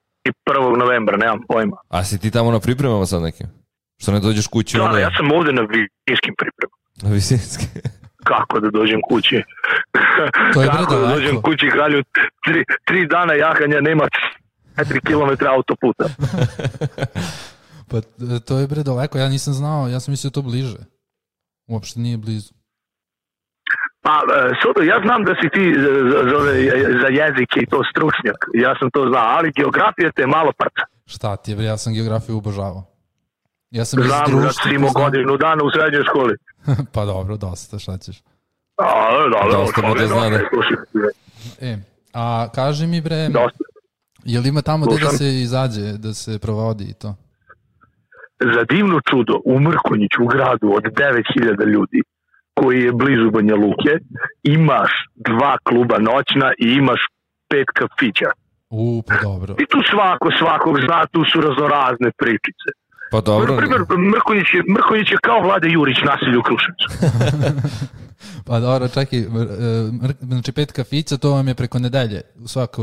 1. novembra, nemam pojma. A si ti tamo na pripremama sad nekim? Što ne dođeš kući? Da, ja sam ovde na visinskim pripremama. Na visinskim? Kako da dođem kući? Kako da dođem kući, kralju? 3 dana jahanja, nema 4 km autoputa. Pa to je bre daleko, ja nisam znao, ja sam mislio to bliže. Uopšte nije blizu. Pa, Soto, ja znam da si ti za jezike i to stručnjak, ja sam to znao, ali geografija te je malo prca. Šta ti je bre, ja sam geografiju obožavao. Ja sam znam da si imao godinu dana u srednjoj školi. Pa dobro, dosta, šta ćeš? Dosta mu da zna da... A kaži mi bre, je li ima tamo gde da se izađe, da se provodi i to? Za divno čudo, u Mrkonjiću, u gradu od 9000 ljudi, koji je blizu Banja Luke, imaš 2 kluba noćna i imaš 5 kafića. Pa dobro. I tu svakog zna, tu su raznorazne pričice. Pa dobro. Na primjer, Mrkonjić je kao Vlade Jurić nasilje u Kruševcu. Pa dobro, čekaj, znači 5 kafića, to vam je preko nedelje,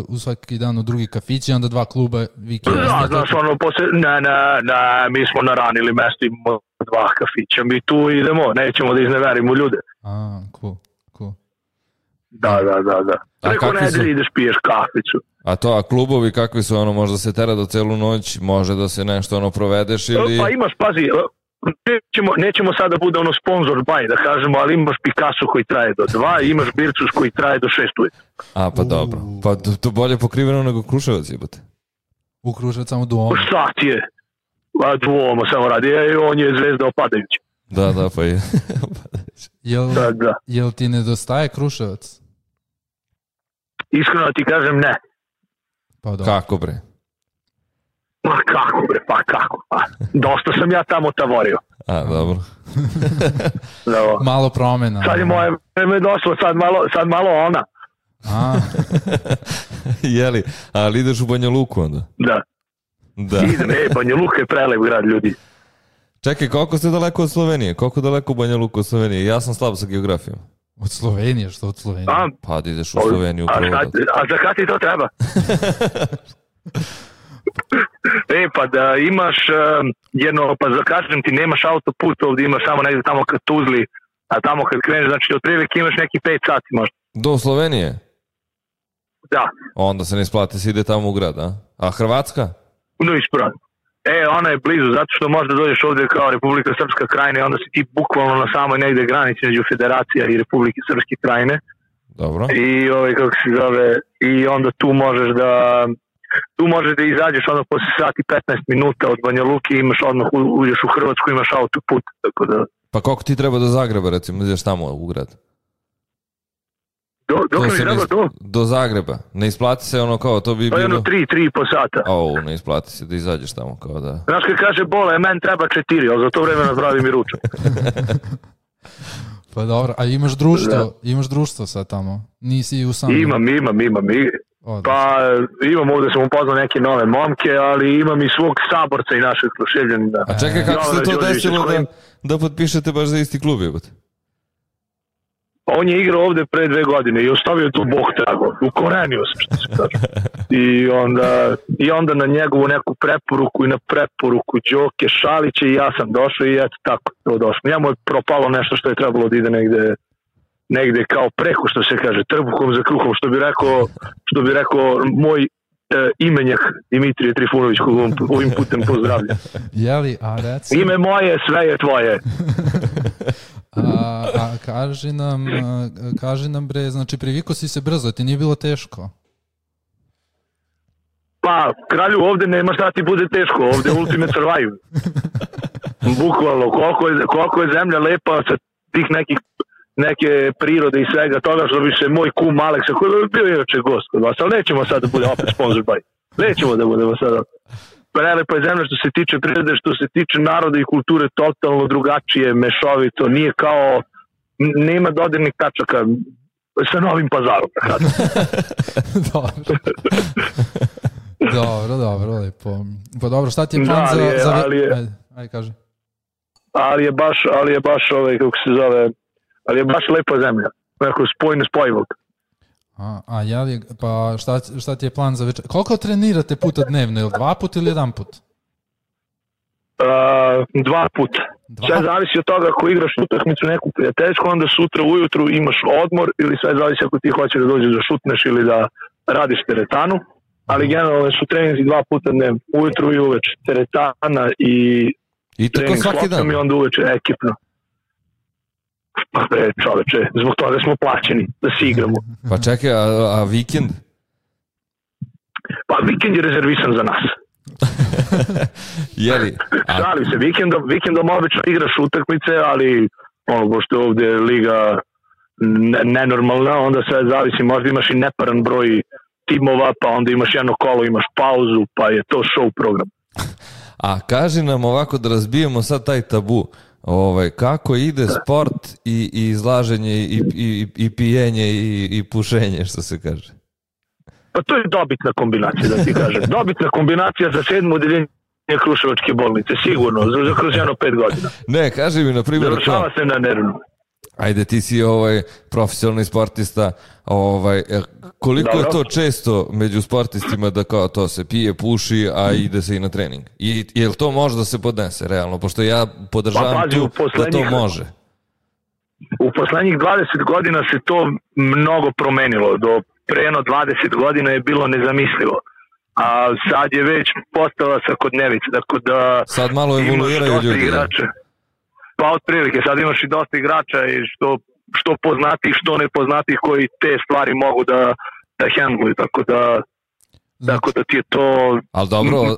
u svaki dan u drugi kafić i onda 2 kluba vikend. Da, znaš, ne, mi smo naranili mesto, imamo 2 kafića, mi tu idemo, nećemo da izneverimo ljude. Cool. Da. Preko nedelje ideš piješ kaficu. A klubovi kakvi su, možda se tera do celu noć, može da se nešto provedeš ili... Pa imaš, pazi, nećemo sad da bude sponsor buy, da kažemo, ali imaš Picasso koji traje do 2 i imaš Bircus koji traje do 6 ujutru. Pa dobro. Pa to bolje pokriveno nego Kruševac, jebate. U Kruševac samo Duomo. Šta ti je? Duomo samo radi, on je zvezda opadajuća. Da, pa je. Jel ti nedostaje Kruševac? Iskreno ti kažem ne. Pa kako bre? Pa kako? Dosta sam ja tamo tavorio. Dobro. Malo promjena. Sad je moje vreme došlo, sad malo ona. Jeli, ali ideš u Banja Luku onda? Da. Idem, Banja Luka je prelep grad, ljudi. Čekaj, koliko ste daleko od Slovenije? Koliko daleko u Banja Luku od Slovenije? Ja sam slab sa geografijom. Od Slovenije? Što od Slovenije? Pa da ideš u Sloveniju. A za kada ti to treba? Pa da imaš pa kažem ti, nemaš autoput ovdje, imaš samo negdje tamo kad Tuzli, a tamo kad kreneš, znači otprilike imaš neki 5 sati možda. Do Slovenije? Da. Onda se ne isplati, se ide tamo u grad, a Hrvatska? No ispravno. Ona je blizu, zato što možda dođeš ovdje kao Republika Srpska krajina i onda si ti bukvalno na samoj negdje granici među Federacija i Republike Srpske krajine. Dobro. I kako se zove, i onda tu možeš da izađeš onda posle sati 15 minuta od Banja Luke i imaš odmah uđeš u Hrvatsku, imaš autoput, tako da... Pa koliko ti treba do Zagreba, recimo, ideš tamo u grad? Do Zagreba. Ne isplati se kao, to bi bilo... Pa 3,5 sata. Ne isplati se da izađeš tamo, kao da... Znaš kad kaže Bole, meni treba 4, ali za to vreme napravim i ručak. Pa dobro, a imaš društvo sad tamo? Nisi u samom? Imam. Pa imam ovdje, sam upoznao neke nove momke, ali imam i svog saborca i našeg Kruševljanina. A čekaj, kako se to desilo da potpišete baš za isti klub, jebote? On je igrao ovdje pre 2 godine i ostavio tu Bog trago. Ukorenio se, što se kaže. I onda na njegovu neku preporuku i na preporuku Đoke Šalića i ja sam došao i eto tako to došlo. Njemu je propalo nešto što je trebalo da ide negde kao preko, što se kaže, trbuhom za kruhom, što bi rekao moj imenjak Dimitrije Trifunović, kog ovim putem pozdravljam. Jeli, a reci... Ime moje, sve je tvoje. A kaži nam bre, znači priviko si se brzo, ti nije bilo teško? Pa, kralju, ovdje nema šta ti bude teško, ovdje je ultimate survive. Bukvalno, koliko je zemlja lepa sa tih neke prirode i svega toga, što bi se moj kum Aleksa, koji je bio inače gost kod vas, ali nećemo sad da bude opet sponsor buy. Nećemo da budemo sada. Prelepa je zemlja što se tiče prirode, što se tiče naroda i kulture, totalno drugačije, mešovito, nije kao, nema dodirnih tačaka sa Novim Pazarom. Dobro, lepo. Pa dobro, šta ti je plan za... Ajde, kaži. Ali je baš kako se zove, ali je baš lepa zemlja, neko spojivog. Pa šta ti je plan za večer? Koliko trenirate puta dnevno? Ili 2 puta ili 1 put? 2 puta. Sve zavisi od toga ako igraš utakmicu neku prijateljsku, onda sutra ujutru imaš odmor ili sve zavisi ako ti hoćeš da dođeš da šutneš ili da radiš teretanu, ali generalno su treninzi 2 puta dnevno, ujutru i uveče. Teretana i trening s loptom i onda uveče ekipno. Pa čoveče, zbog toga smo plaćeni da se igramo. Pa čekaj, a vikend? Pa vikend je rezervisan za nas. Jeli? Šalim se, vikendom obično igraš utakmice, ali pošto je ovdje liga nenormalna, onda sve zavisi, možda imaš i neparan broj timova, pa onda imaš jedno kolo, imaš pauzu, pa je to show program. A kaži nam ovako da razbijemo sad taj tabu. Kako ide sport i izlaženje i pijenje i pušenje, što se kaže? Pa to je dobitna kombinacija, da ti kažem. Dobitna kombinacija za 7. odeljenje Kruševačke bolnice, sigurno, za kroz jedno 5 godina. Ne, kaži mi, na primjer, Završava se na nervnu. ajde, ti si profesionalni sportista, koliko je to često među sportistima da kao to se pije, puši, a ide se i na trening? I je li to može da se podnese realno? Pošto ja podržavam tu da to može. U poslednjih 20 godina se to mnogo promenilo. Do preno 20 godina je bilo nezamislivo. A sad je već postala svakodnevica. Tako da sad malo evoluiraju ljudi. Pa otprilike, sad imaš i dosta igrača i što poznatih, što nepoznatih koji te stvari mogu da handluju, tako da ti je to... Ali dobro...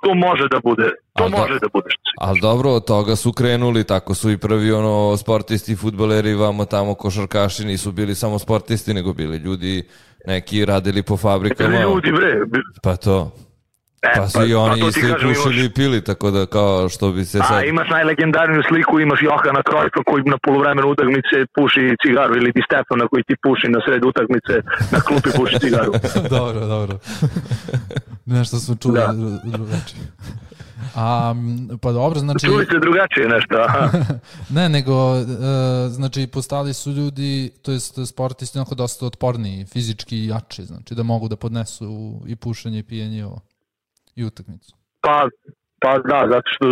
To može da bude. Može da bude. Ali dobro, od toga su krenuli, tako su i prvi sportisti, fudbaleri, vamo tamo košarkaši nisu bili samo sportisti, nego bili ljudi, neki radili po fabrikama. Ljudi, bre. Pa to... Pa svi oni isto i pušili i pili, tako da kao što bi se sad... Imaš najlegendarniju sliku, imaš Johana Cruyffa koji na poluvremenu utakmice puši cigaru, ili Di Stefana koji ti puši na sred utakmice na klupi puši cigaru. Dobro. Nešto smo čuli drugačije. Pa dobro, znači... Čuli ste drugačije nešto, aha. Ne, nego, znači, postali su ljudi, to jest sportisti, onako dosta otporniji, fizički jači, znači, da mogu da podnesu i pušenje i pijenje i utakmicu. Pa da, zato što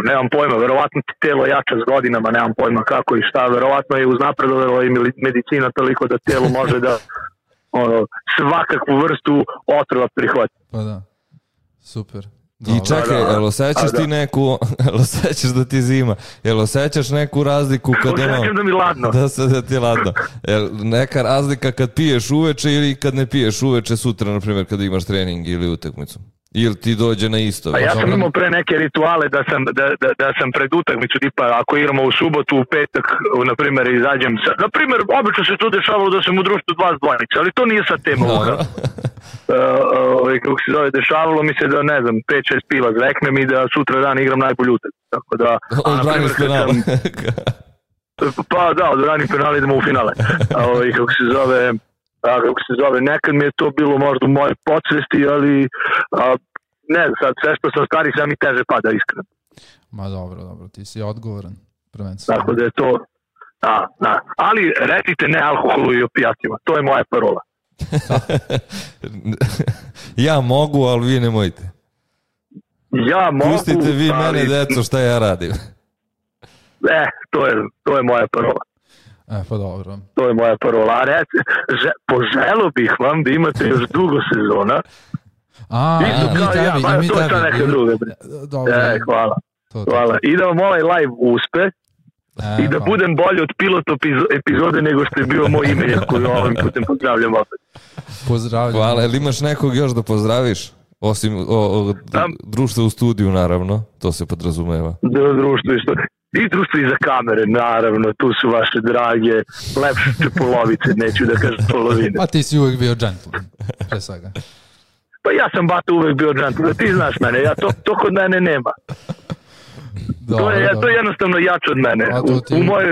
nemam pojma, verovatno ti telo jača s godinama, nemam pojma kako i šta, verovatno je uznapredovala i medicina toliko da telo može da svakakvu vrstu otrova prihvati. Pa da, super. I čekaj, jel osjećaš ti neku, jel osjećaš da ti zima, jel osjećaš neku razliku kad osjećam da mi ladno. Da ti je ladno. Jel neka razlika kad piješ uveče ili kad ne piješ uveče sutra, na primjer, kada imaš trening ili utakmicu? Ili ti dođe na isto? Pa ja sam imao pre neke rituale da sam pred utakmicu, tipa ako igramo u subotu, u petak, na primjer, izađem sa... Na primjer, obično se to dešavalo da sam u društvu 2 dvojnice, ali to nije sad tema uka. Kako se zove, dešavalo mi se da, ne znam, 5-6 piva zreknem i da sutra dan igram najbolju utakmicu. Tako da... Odbraniš penale. Pa da, odbrani penale, idemo u finale. Kako se zove, nekad mi je to bilo možda u moje podsvesti, ali ne, sad sve što sam stari sve mi teže pada, iskreno. Ma dobro, ti si odgovoran, prvenstveno. Tako da je to, da. Ali recite ne alkoholu i opijatima, to je moja parola. Ja mogu, ali vi nemojte. Ja mogu, pustite vi mene, deco, šta ja radim. To je moja parola. Pa dobro. To je moja parola. Poželio bih vam da imate još dugo sezona. I mi to je sad neka druga. Hvala. I da vam ovaj live uspe i da budem bolji od pilot epizode nego što je bio moj ime, koju ovim putem pozdravljam opet. Pozdravljam. Hvala. Ili imaš nekog još da pozdraviš? Osim društva u studiju, naravno. To se podrazumeva. Da, društvo isto. I društvo iza kamere, naravno, tu su vaše drage, lepše polovice, neću da kažem polovine. Pa ti si uvek bio gentleman, pre svega. Pa ja sam, bato, uvek bio gentleman, ti znaš mene, to kod mene nema. To je jednostavno jače od mene,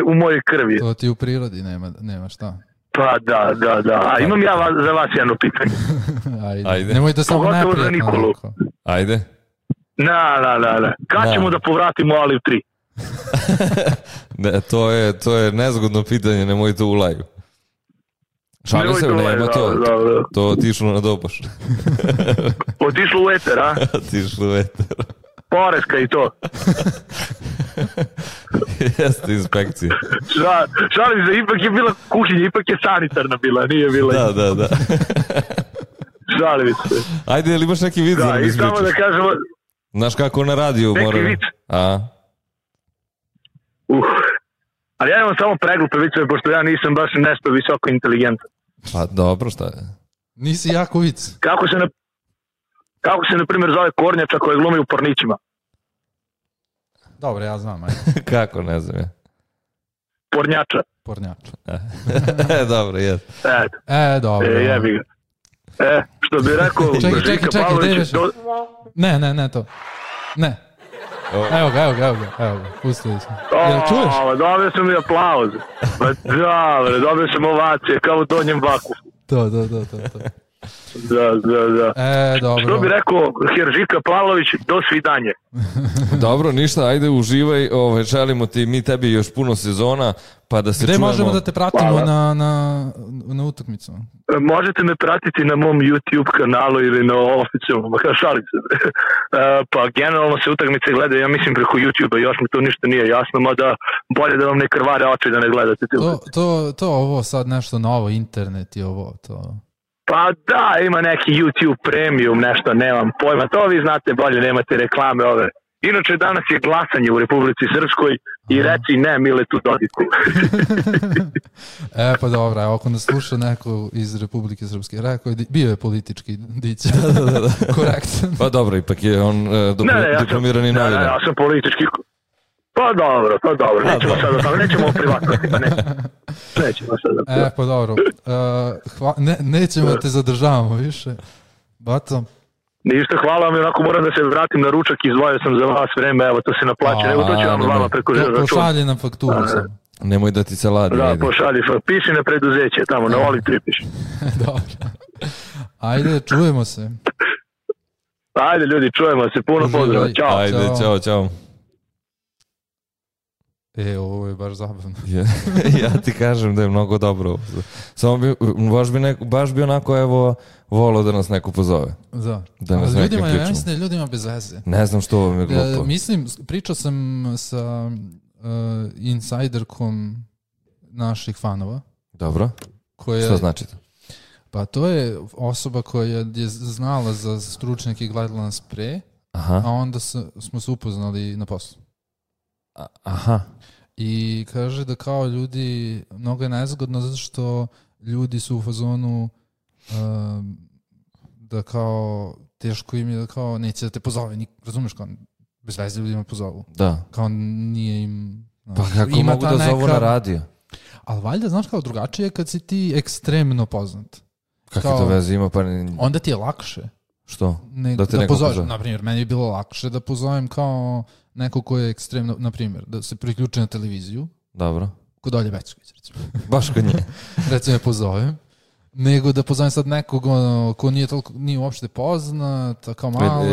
u mojoj krvi. To ti u prirodi nema šta. Pa da. A imam ja za vas jedno pitanje. Ajde. Nemoj da samo neprijatno. Ajde. Na. Kad ćemo da povratimo Aliv 3? Ne, to je nezgodno pitanje, nemoj to u live. Šalim se, nema to. To otišlo na doboš. Otišlo u eter, a? Otišlo u eter. Poreska i to. Jeste inspekcija. Šalim se, ipak je bila kuhinja, ipak je sanitarna bila, nije bila. Da. Šalim se. Ajde, ili imaš neki vid za nam izpričaš? Samo da kažemo... Znaš kako na radiju mora... Neki vid. Ali ja imam samo preglupe viceve, pošto ja nisam baš nešto visoko inteligentan. Pa dobro, šta je? Nisi jako vic. Kako se, na primjer, zove kornjača koja glumi u Pornićima? Dobro, ja znam. Kako, ne znam ja. Pornjača. Dobro, jes. Dobro. Jebi ga. Što bi rekao... Čekaj, ne, to. Ne. Evo ga, pustili smo. Čuješ? Dobio sam i aplauz. Dobio sam ovacije kao u donjem vaku. To. Da. Dobro. Što bi rekao Heržika Pavlović, do svidanje. Dobro, ništa, ajde uživaj, želimo ti mi tebi još puno sezona, pa da se Gde čujemo. možemo da te pratimo na utakmicu? Možete me pratiti na mom YouTube kanalu ili na oficijalnom, šalim se. Pa generalno se utakmice gledaju, ja mislim preko YouTube-a, još mi to ništa nije jasno, mada bolje da vam ne krvare oči da ne gledate. To ovo sad nešto novo, internet i ovo, to... Pa da, ima neki YouTube premium, nešto, nemam pojma, to vi znate bolje, nemate reklame ove. Inače, danas je glasanje u Republici Srpskoj i reci ne Miletu Dodiku. Pa dobro, ako nas sluša neko iz Republike Srpske, rekao je, bio je politički dić. Da. Korektno. Pa dobro, ipak je on diplomirani novinar. Ne, ja sam politički... Pa dobro, nećemo o privatnosti, pa nećemo sada. Pa dobro, nećemo te zadržavamo više. Bato. Ništa, hvala vam, onako moram da se vratim na ručak, izdvojio sam za vas vreme, evo to se naplaća, evo to ću vam vama preko računa. Pošalji nam fakturu sam. Nemoj da ti se ladi. Da, pošalji, piši na preduzeće, tamo na Oli 3 piši. Dobro. Ajde, čujemo se. Ajde ljudi, čujemo se, puno pozdrava, čao. Ajde, čao. Ovo je baš zabavno. Ja ti kažem da je mnogo dobro. Samo baš bi onako volao da nas neko pozove. Da nas ljudima, ja mislim da je ljudima bez veze. Ne znam što vam je glupo. Mislim, pričao sam sa insajderkom naših fanova. Dobro. Što znači to? Pa to je osoba koja je znala za stručnjake i gledala nas pre, a onda smo se upoznali na poslu. Aha. I kaže da kao ljudi, mnogo je nezgodno zato što ljudi su u fazonu da kao teško im je da kao neće da te pozove, razumeš, kao bez veze ljudima pozovu. Da. Kao nije im... Pa kako mogu da zovu na radio? Ali valjda, znaš, kao drugačije je kad si ti ekstremno poznat. Kakve to veze ima? Pa... Onda ti je lakše. Što? Da te pozoveš. Naprimjer, meni je bilo lakše da pozovem kao neko ko je ekstremno, naprimjer, da se priključi na televiziju. Dobro. Kod Olje Bećković, recimo. Baš kod nje. Recimo je pozovem. Nego da pozovem sad nekog ko nije uopšte poznat, kao malo.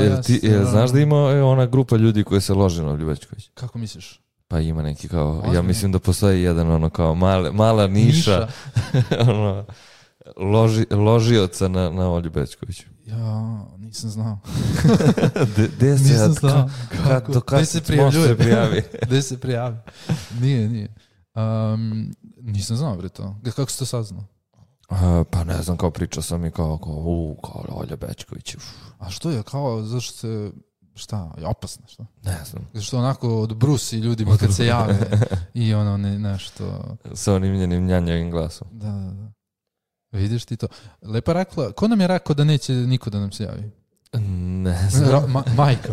Znaš da ima ona grupa ljudi koji se lože na Olju Bećković? Kako misliš? Pa ima neki kao, ja mislim da postoji jedan ono kao mala niša. Ono, ložioca na Olju Bećkoviću. Ja, nisam znao. Nisam znao. Gde se prijavi? Gde se prijavi? Nije. Nisam znao, bre, to. Kako si to saznao? Pa ne znam, kao pričao sam i kao Olja Bećković. A što je, kao, zašto se... Šta, je opasno, što? Ne znam. Zašto onako odbrusi ljudima kad se jave i ono nešto... Sa onim njenim njanjavim glasom. Da. Vidiš ti to. Lepa rekla, ko nam je rekao da neće niko da nam se javi? Ne znam. Majka.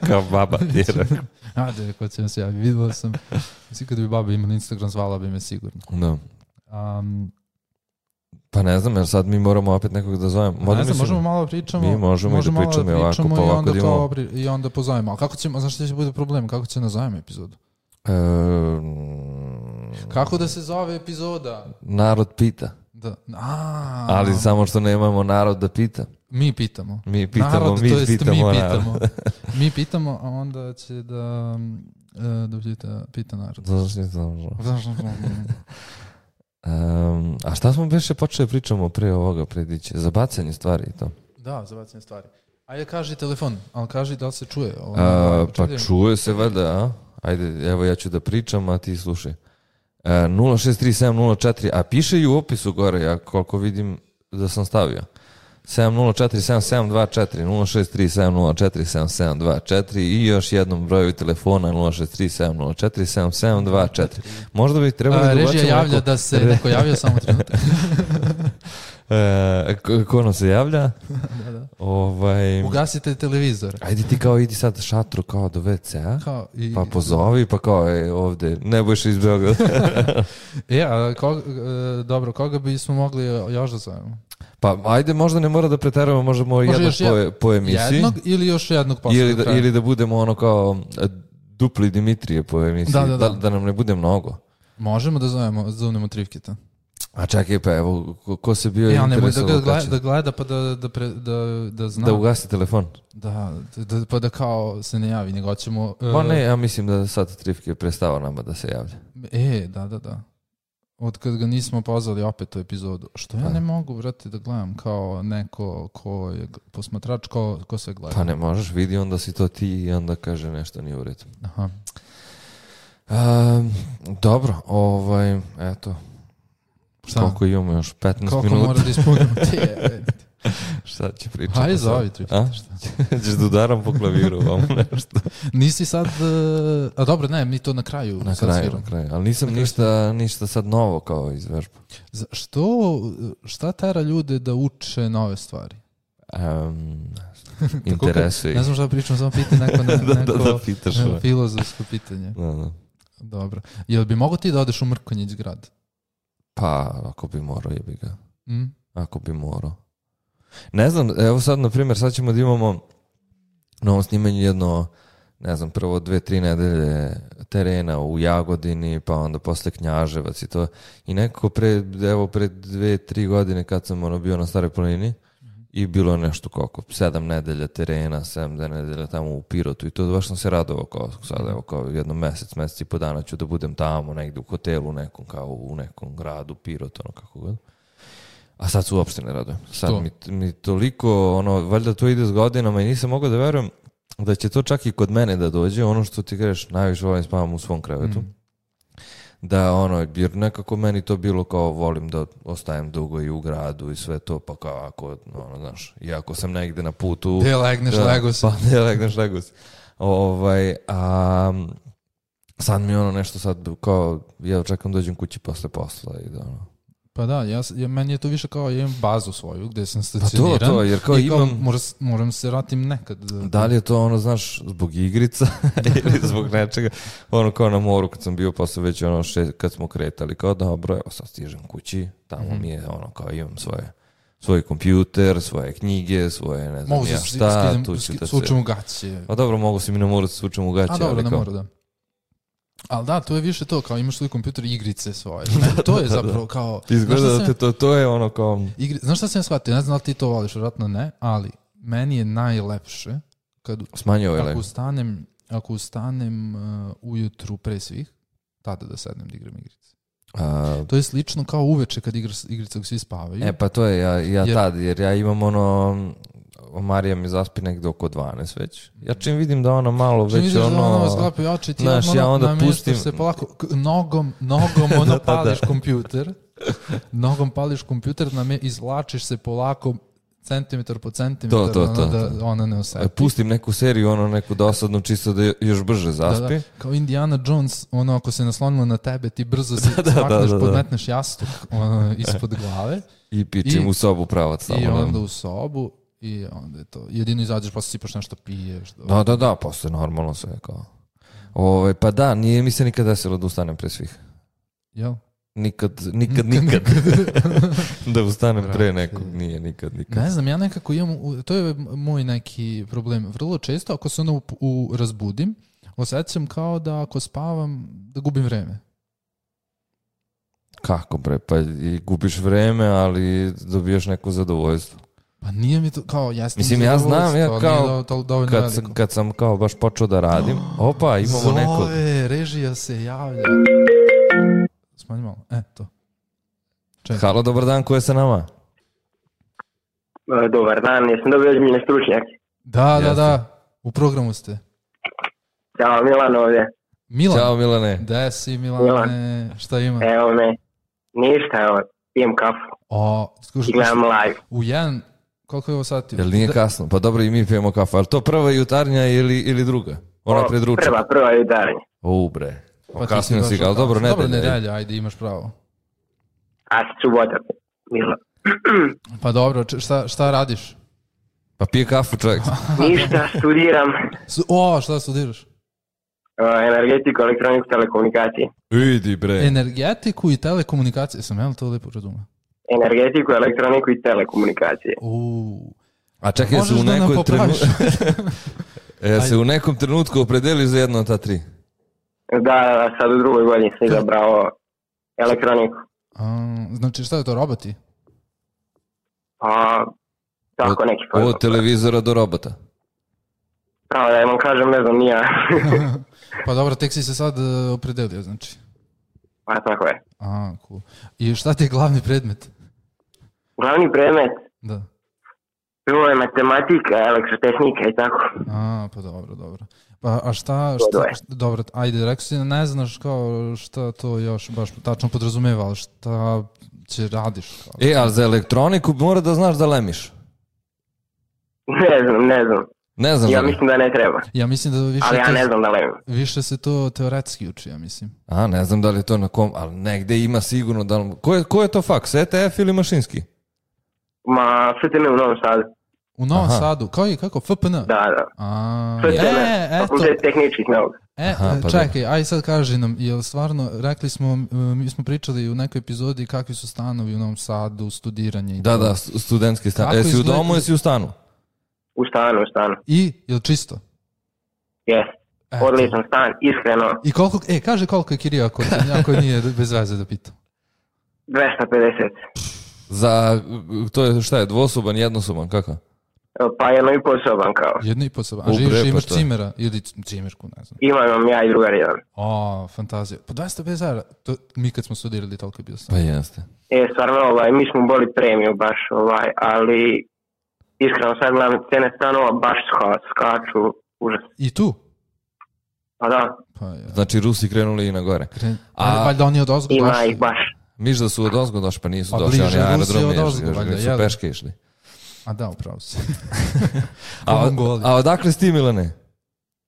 Kao baba ti je rekao. Ajde, ko će nam se javi. Videla sam, mislim kad bi baba imala Instagram, zvala bi me sigurno. Da. Pa ne znam, jer sad mi moramo opet nekog da zovemo. Ne znam, možemo malo pričamo. Mi možemo i da pričamo ovako, pa ovako da imamo. I onda pozovemo. Ali kako ćemo, znaš što će bude problem? Kako će nazovemo epizodu? Kako da se zove epizoda? Narod pita. Da. Ali samo što nemamo narod da pita. Mi pitamo. Mi pitamo narod. Mi pitamo, a onda će da pita narod. A šta smo više počeli pričamo pre ovoga prediće? Za bacanje stvari i to? Da, za bacanje stvari. Ajde, kaži telefon, ali kaži da li se čuje. Pa čuje se valjda, a? Ajde, evo ja ću da pričam, a ti slušaj. 063704, a piše i u opisu gore, ja koliko vidim da sam stavio. 704-7724, 063704-7724 i još jednom broju telefona 063704-7724. Možda bi trebali da režija javlja da se neko javlja samo trenutak. Ko nam se javlja? Da. Ugasite televizor. Ajde ti kao idi sad šatru kao do WC-a, pa pozovi, pa kao ovde, ne bojiš iz Beograda. Dobro, koga bismo mogli još da zovemo? Pa ajde, možda ne mora da preterujemo, možemo jednog po emisiji. Jednog ili još jednog posle. Ili da budemo ono kao dupli Dimitrije po emisiji, da nam ne bude mnogo. Možemo da zovemo Trivketa. A čekaj, pa evo, ko se bio Ja nemoj interesovao da gleda pa da zna. Da ugasi telefon? Da, pa da kao se ne javi, nego ćemo... Pa ne, ja mislim da sad Trifke prestava nama da se javlja. Da. Od kad ga nismo pozvali opet u epizodu. Što ja ne mogu, brate, da gledam kao neko ko je posmatrač, ko se gleda. Pa ne možeš, vidi onda si to ti i onda kaže nešto nije u redu. Aha. Dobro, eto. Šta? Koliko imamo još? 15 Koliko minuta? mora da ispunimo Šta će pričati? Hajde zovi Trifke. Ćeš da udaram po klaviru, vam nešto. Nisi sad... A dobro, ne, mi to na kraju. Na kraju. Ali nisam ništa sad novo kao izvežba. Šta tera ljude da uče nove stvari? Interesuje. Ne znam šta pričam, samo pitaj neko da pitaš. Filozofsko pitanje. Da. Dobro. Jel bi mogo ti da odeš u Mrkonjić grad? Pa, ako bi morao, jebi ga. Ako bi morao. Ne znam, evo sad, na primjer, sad ćemo da imamo na ovom snimanju jedno, ne znam, prvo 2-3 nedelje terena u Jagodini, pa onda posle Knjaževac i to. I nekako pre 2-3 godine kad sam bio na Staroj planini i bilo nešto koliko, 7 nedelja terena, 7 nedelja tamo u Pirotu i to baš sam se radovao kao sad, evo kao jedno mesec i po dana ću da budem tamo negde u hotelu nekom, kao u nekom gradu, Pirot, ono kako god. A sad se uopšte ne radujem. Sad mi toliko, valjda to ide s godinama i nisam mogao da verujem da će to čak i kod mene da dođe, ono što ti kažeš, najviše volim spavam u svom krevetu. Da, jer nekako meni to bilo kao volim da ostajem dugo i u gradu i sve to, pa kao ako, znaš, iako sam negde na putu... Gde legneš Legos. Pa gde legneš Legos. Sad mi nešto sad, kao, ja čekam dođem kući posle posla i da, Pa da, meni je to više kao imam bazu svoju gde sam stacioniran. Pa to, jer kao imam... Moram se vratim nekad. Da li je to znaš, zbog igrica ili zbog nečega? Kao na moru kad sam bio posle već kad smo kretali, kao dobro, evo sad stižem kući, tamo mi je kao imam svoj kompjuter, svoje knjige, svoje ne znam ja šta. Mogu se slučam u gaće. Pa dobro, mogu se mi na moru da slučam u gaće. A dobro, na moru, da. Ali da, to je više to, kao imaš svoj kompjuter i igrice svoje. To je zapravo kao... Izgleda da to je kao... Znaš šta sam ja shvatio? Ne znam da li ti to voliš, vjerojatno ne, ali meni je najlepše ako ustanem ujutru pre svih, tada da sednem da igram igrice. To je slično kao uveče kad igraš igrice dok svi spavaju. Pa to je, jer ja imam Marija mi zaspi negde oko 12 već. Ja čim vidim da ona malo već sklapi oči, ti ja onda pustim se polako nogom pališ kompjuter, izvlačiš se polako centimetar po centimetar da ona ne osjeti. Pustim neku seriju, neku dosadnu, čisto da još brže zaspi. Da. Kao Indiana Jones, ako se naslonilo na tebe, ti brzo se smakneš, podmetneš jastuk ispod glave. I pičim u sobu pravac. I onda u sobu. I onda je to. Jedino izađeš, posle sipaš nešto piješ. Da, posle normalno sve kao. Pa da, nije mi se nikad desilo da ustanem pre svih. Jel? Nikad. Da ustanem pre nekog, nije nikad. Ne znam, ja nekako imam, to je moj neki problem. Vrlo često, ako se razbudim, osjećam kao da ako spavam, da gubim vreme. Kako bre, pa i gubiš vreme, ali dobijaš neko zadovoljstvo. Pa nije mi to kao mislim, ja znam, kad sam kao baš počeo da radim, imamo neko... Režija se javlja. Smanji malo, to. Čekaj. Halo, dobar dan, ko je sa nama? Dobar dan, jesam dobio ozbiljne stručnjake. Da, u programu ste. Ćao, Milan ovdje. Milan? Ćao, Milane. Gde si, Milane? Šta ima? Evo me, ništa, pijem kafu. I gledam live. U jedan... Koliko je ovo sati? Jel nije kasno? Pa dobro, i mi pijemo kafu. Ali to prva jutarnja ili druga? Ona pred ručak? Prva jutarnja. Bre. Kasnije si ga, ali dobro, nedelja. Dobro, nedelja, ajde, imaš pravo. A subota, Milo. Pa dobro, šta radiš? Pa pije kafu, čovjek. Ništa, studiram. Šta studiraš? Energetiku, elektroniku, telekomunikacije. Idi bre. Energetiku i telekomunikacije, sam to lijepo razumio. Energetiku, elektroniku i telekomunikacije. A čekaj, se u nekom trenutku opredeli za jedno od ta tri? Da, sad u drugoj godini sam izabrao elektroniku. Znači šta je to, roboti? Pa, tako neki pojma. Od televizora do robota. Pravo da vam kažem, ne znam, nija. Pa dobro, tek si se sad opredelio, znači. Pa tako je. Cool. I šta ti je glavni predmet? Glavni predmet? Da. Bilo je matematika, elektrotehnika i tako. Pa dobro. Pa a šta dobro, ajde, rekao si ne znaš kao šta to još baš tačno podrazumeva, ali šta će radiš? Kao? Ali za elektroniku mora da znaš da lemiš. Ne znam. Ne znam. Ja mislim da ne treba. Ja mislim da više ali ja ne znam da lemim. Više se to teoretski uči, ja mislim. Ne znam da li je to na kom, ali negde ima sigurno da... Ko je to faks, ETF ili mašinski? Ma, FTN u Novom Sadu. U Novom Sadu? Kako? FPN? Da. FTN, Fakultet tehničkih nauka. Čekaj, aj sad kaži nam, jel stvarno, rekli smo, mi smo pričali u nekoj epizodi kakvi su stanovi u Novom Sadu, studiranje i Da, studentski stan. Jesi u domu, jesi u stanu? U stanu. I, jel čisto? Jes. Odličan stan, iskreno. I koliko, kaže koliko je kirija, ako nije bez veze da pitam. 250. To je šta je, dvosoban, jednosoban, kako? Pa 1,5 soban kao. 1,5 soban. A živiš, imaš cimera ili cimerku, ne znam. Imam ja i drugar jedan. Fantazija. Pa 250 eura, mi kad smo studirali toliko je bio stan. Pa jeste. Stvarno, mi smo boli premiju baš, ali iskreno sad gledam cene stanova baš skaču, užas. I tu? Pa da. Znači Rusi krenuli i na gore. Valjda oni od ozgo došli. Ima ih baš. Miš da su od ozgo došli, pa nisu došli, oni aerodromi su peške išli. A da, upravo si. A odakle si ti, Milane?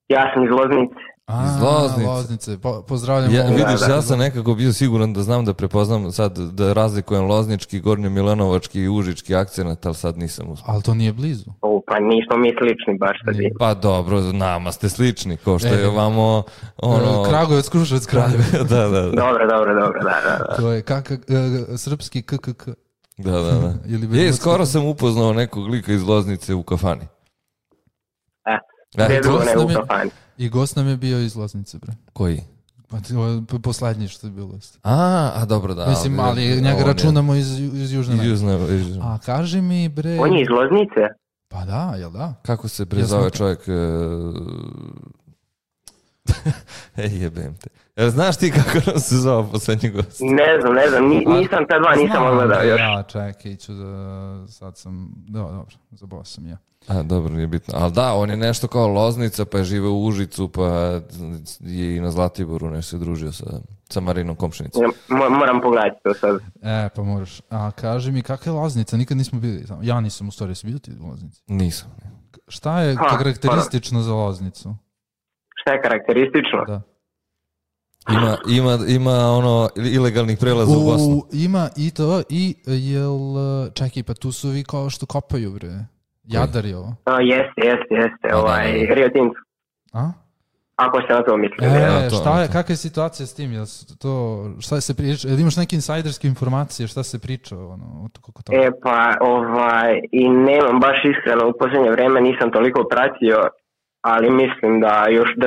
Ja sam iz Loznice. Iz Loznice. Pozdravljam. Vidiš, ja sam nekako bio siguran da znam da prepoznam sad, da razlikujem loznički, gornje milanovački i užički akcenat, ali sad nisam uspio. Ali to nije blizu. Pa nismo mi slični baš sad. Pa dobro, nama ste slični, ko što je ovamo... Kragujevac, Kruševac, Kraljevo. Da. Dobro, da. To je srpski KKK. Da. Skoro sam upoznao nekog lika iz Loznice u kafani. I gost nam je bio iz Loznice, bre. Koji? Pa poslednji što je bilo. Dobro, da. Mislim, ali njega računamo iz Južne Amerike. A kaži mi, bre... On je iz Loznice? Pa da, jel da? Kako se bre zove čovjek... Jebem te. Znaš ti kako nam se zove poslednji gost? Ne znam, nisam ta dva, nisam odgledao još. Čekaj, sad sam, dobro, zabao sam ja. Dobro, nije bitno. Ali da, on je nešto kao Loznica, pa je žive u Užicu, pa je i na Zlatiboru nešto se družio sa Marinom Komšinicom. Moram pogledati to sad. Pa moraš. A kaži mi, kakva je Loznica? Nikad nismo bili tamo. Ja nisam u stvari, bio ti u Loznici? Nisam. Šta je karakteristično za Loznicu? Šta je karakteristično? Da. Ima ono ilegalnih prelaza u Bosnu. Ima i to, i čekaj, pa tu su vi kao što kopaju, bre. Jadar je ovo. Jeste, Rio Tinto. Ako ste na to mislili. Kakva je situacija s tim? Šta se priča? Imaš neke insajderske informacije? Šta se priča? I nemam baš iskreno, u posljednje vreme nisam toliko pratio, ali mislim da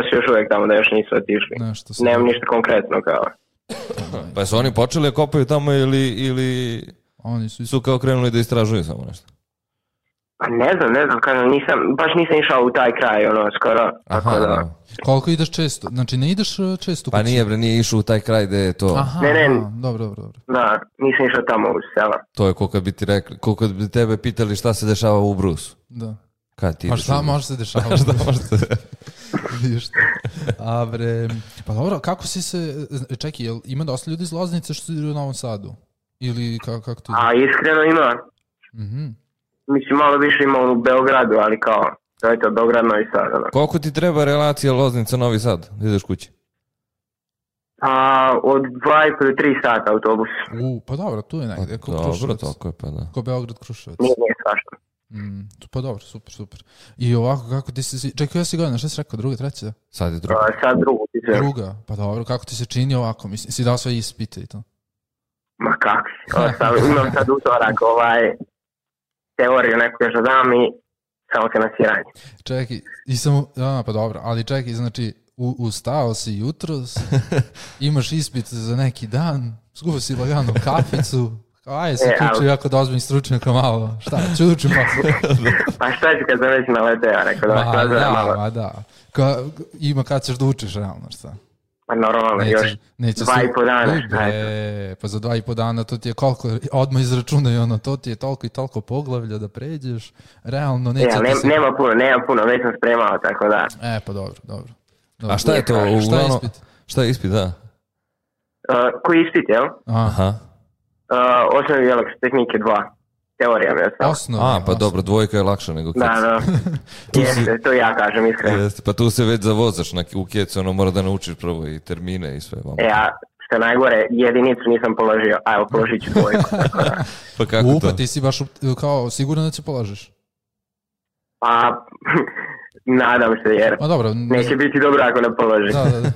su još uvijek tamo, da još nisu otišli. Nemam ništa konkretno kao. Pa su oni počeli da kopaju tamo ili su kao krenuli da istražuju samo nešto? Pa ne znam, baš nisam išao u taj kraj, skoro. Koliko ideš često? Znači ne ideš često? Pa nije išao u taj kraj gde je to... Ne. Dobro. Da, nisam išao tamo u sela. To je koliko bi tebe pitali šta se dešava u Brusu. Da. Pa šta može se dešavati? Pa dobro, kako si se... Čekaj, ima dosta ljudi iz Loznice što studiraju u Novom Sadu? Ili kako to... Iskreno ima. Mislim, malo više ima u Beogradu, ali kao, to je to, Beograd, Novi Sad. Koliko ti treba relacija Loznica-Novi Sad, da ideš kući? Od 2,5 do 3 sata autobus. Pa dobro, tu je negdje. Dobro, tako je, pa da. Ko Beograd, Kruševac. Nije strašno. Pa dobro, super. I ovako, kako ti se... Čekaj, ja si godina, šta si rekao, druga, treća? Sad je druga. Sad druga, pa dobro, kako ti se čini ovako, mislim, si dao sve ispite i to? Ma kako, imam sad utorak, teoriju neku još dam i samo finansiranje. Čekaj, pa dobro, ali čekaj, znači, ustao si jutros, imaš ispit za neki dan, skupo si lagano kaficu, ajde se čučio jako da ozbiljnih stručnjaka malo, šta, ću učim posle. Pa šta ću kad sam već naleteo, rekao da malo. Da. Ima kad ćeš da učiš, realno, šta? Pa normalno, još 2,5 dana. Pa za 2,5 dana to ti je koliko, odmah izračunaj ono, to ti je toliko i toliko poglavlja da pređeš, realno neće... Nema puno, već sam spremao, tako da... Pa dobro. A šta je to? Šta je ispit, da? Koji ispit, jel? Aha. Osnovi elektrotehnike 2. Teorija mi je ostalo. Pa dobro, dvojka je lakša nego kec. Da. Jeste, to ja kažem iskreno. Jeste, pa tu se već zavozaš u kecu, mora da naučiš prvo i termine i sve. Ja, što najgore, jedinicu nisam položio, a evo položit ću dvojku. Pa kako to? Pa ti si baš kao siguran da će položiš? Pa, nadam se, jer neće biti dobro ako ne položi. Da.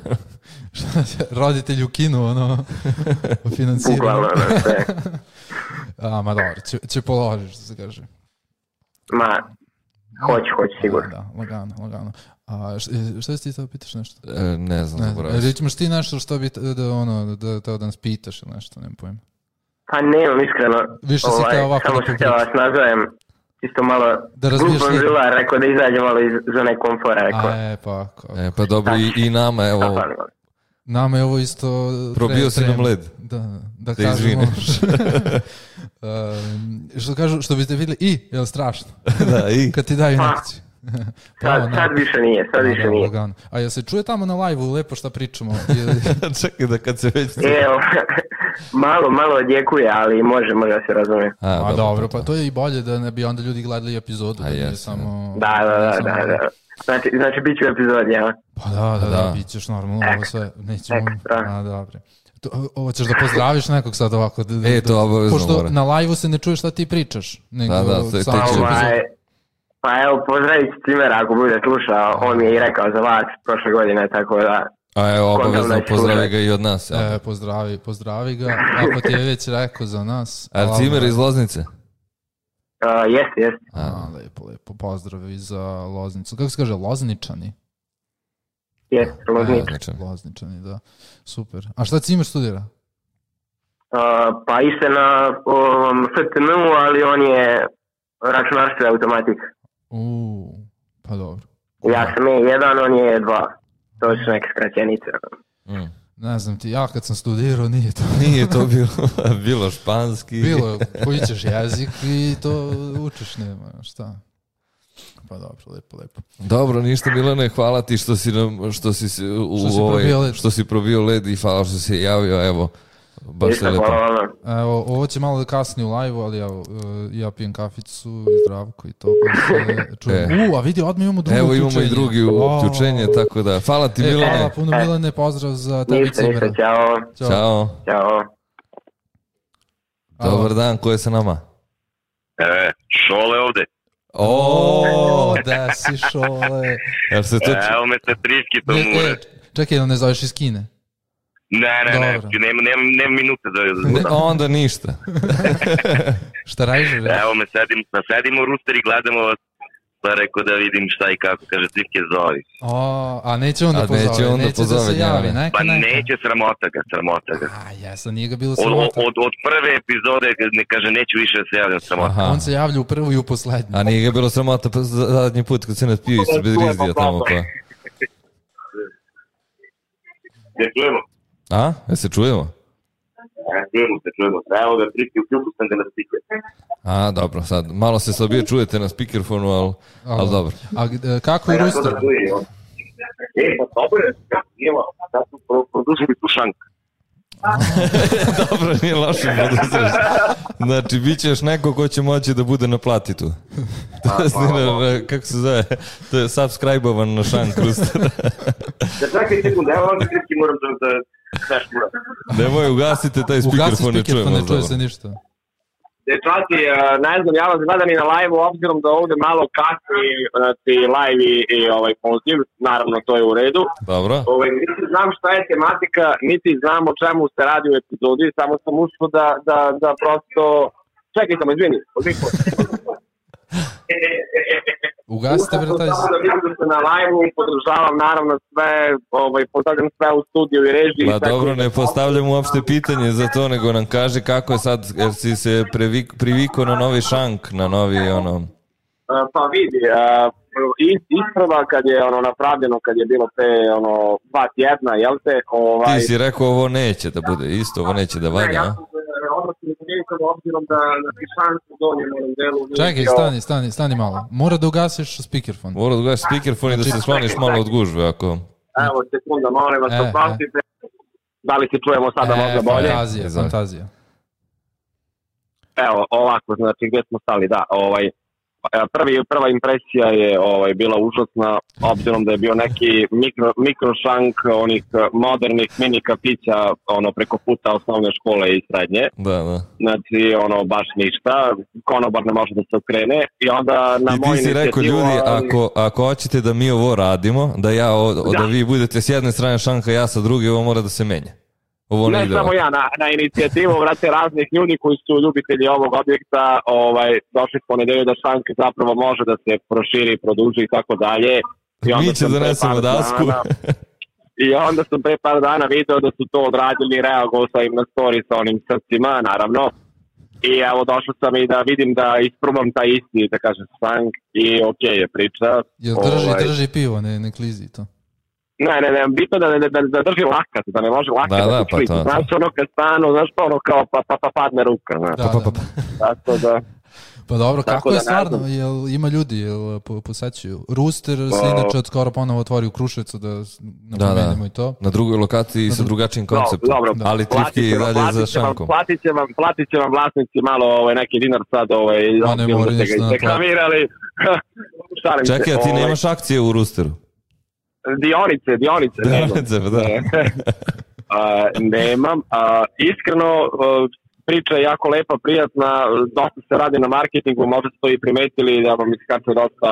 Roditelji u kinu, financiraju. Bukvalno, sve. Ma dobro, će položiš, da se kaže. Ma, hoću sigurno. Da, lagano. A šta si ti to pitaš nešto? Ne znam, zaboravim. Imaš ti nešto što bi da nas pitaš ili nešto, nemam pojma. Pa nemam, iskreno. Više si te ovako samo se htio vas nazovem, čisto malo glupom žila, rekao da izađe malo iz zone komfora. Pa dobro, i nama, evo... Nama je ovo isto... Probio si nam led. Da kažemo. Što kažu, što biste vidjeli, je li strašno? Da, kad ti daju nekci. Sad više nije. A jel se čuje tamo na live-u lepo šta pričamo? Čekaj da kad se već... Malo odjekuje, ali može da se razumije. Dobro, pa to je i bolje da ne bi onda ljudi gledali epizodu. Da. Znači bit ću u epizodi, jel? Pa da, bit ćeš normalno, ovo sve, nećemo... Dobro. Ovo ćeš da pozdraviš nekog sad ovako? To obavezno mora. Pošto na live-u se ne čuje šta ti pričaš. Pa evo, pozdravit ću Cimera ako bude slušao, on mi je i rekao za vas prošle godine, tako da... A evo, obavezno pozdravi ga i od nas. Pozdravi ga, ako ti je već rekao za nas. A Cimer iz Loznice? Jeste. Lepo, pozdravi za Loznicu. Kako se kaže, Lozničani? Jeste, Lozničani, da. Super. A šta Cimer studira? Pa iste na FTN-u, ali on je računarstvo i automatika. Pa dobro. Ja sam E1, on je E2. To su neke skraćenice. Ne znam ti, ja kad sam studirao nije to bilo španski. Bilo, koji ćeš jezik i to učiš, nema šta. Pa dobro, lepo. Dobro, ništa Milane, hvala ti što si probio led i hvala što si javio, evo. Baš se lepo. Evo, ovo će malo da kasni u live-u, ali ja pijem kaficu, Zdravko i to, pa se čujem. A vidi, odmah imamo drugo uključenje. Evo imamo i drugi uključenje, tako da, hvala ti Milane. Hvala puno Milane, pozdrav za tebi Cimera. Ćao. Dobar dan, ko je sa nama? Šole ovde. Da si Šole. Evo me sa triski to mure. Čekaj, ne zoveš iz Kine? Ne, nemam minute da... Onda ništa. Šta radiš? Evo me sedimo u Ruster i gledamo vas, pa rekao da vidim šta i kako, kaže Cipke zovi. A neće onda pozove, neće da se javi. Pa neće, sramota ga. Jesam, nije ga bilo sramota. Od prve epizode, kaže, neću više da se javljam, sramota. On se javlja u prvu i u poslednju. A nije ga bilo sramota zadnji put kad se napio i bez rizdija tamo, pa... Ne čujemo. Jel se čujemo? Čujemo. Evo ga, Triki, uključio sam ga na speaker. Dobro, sad, malo se slabije čujete na speakerfonu, ali dobro. A kako je Ruster? Pa dobro je, sad su produžili tu šanku. Dobro, nije loše produžiti. Znači, bit ćeš neko ko će moći da bude na plati tu. Kako se zove? To je subscribe-ovan na šank Rustera. Čekaj sekundu, evo vam Triki, moram da... Nemoj, ugasite taj speakerfon, ne čujemo. Ne čuje se ništa. Dečaci, ne znam, ja vas gledam i na live-u, obzirom da ovde malo kasni live i poziv, naravno to je u redu. Dobro. Niti znam šta je tematika, niti znam o čemu se radi u epizodi, samo sam ušao da prosto... Čekaj samo, izvini. Ugasite bre taj... Vidim da se na live-u, podržavam naravno sve, postavljam sve u studiju i režiji. Pa dobro, ne postavljam uopšte pitanje za to, nego nam kaže kako je sad, jer si se privikao na novi šank, na novi Pa vidi, isprva kad je napravljeno, kad je bilo te 2 tjedna, jel te? Ti si rekao ovo neće da bude isto, ovo neće da valja, a? Obzirom da ti šanku donjem onom delu... Čekaj, stani malo. Mora da ugasiš speakerfon. Mora da ugasiš speakerfon i da se skloniš malo od gužve, ako... Evo, sekunda, molim vas, oprostite. Da li se čujemo sada možda bolje? Fantazija. Evo, ovako, znači gdje smo stali, da, prva impresija je bila užasna, obzirom da je bio neki mikrošank onih modernih mini kafića preko puta osnovne škole i srednje. Da. Znači, baš ništa, konobar ne može da se okrene i onda na moju inicijativu... I ti si rekao, ljudi, ako hoćete da mi ovo radimo, da vi budete s jedne strane šanka, ja sa druge, ovo mora da se menja. Ne samo ja, na inicijativu raznih ljudi koji su ljubitelji ovog objekta, došli smo na ideju da šank zapravo može da se proširi, produži i tako dalje. Mi će donesemo dasku. I onda sam pre par dana video da su to odradili i reagovao sam im na story sa onim srcima, naravno. I evo došao sam i da vidim da isprobam taj isti, da kažem, šank i okej je priča. Jel drži pivo, ne klizi to? Ne, bitno da drži lakat, da ne može lakat da se čuti. Znaš kad stanu, znaš kao pa padne ruka. Tako da... Pa dobro, kako je stvarno? Ima ljudi, posećuju? Rooster se inače od skoro ponovo otvori u Kruševcu, da napomenemo i to. Na drugoj lokaciji sa drugačijim konceptom, ali tripki i dalje za šankom. Platit će vam vlasnici malo neki dinar sad, ne mora ništa reklamirali. Čekaj, a ti nemaš akcije u Roosteru? Dionice, nemam. Iskreno, priča je jako lepa, prijatna, dosta se radi na marketingu, možda ste to i primetili, da vam iskače dosta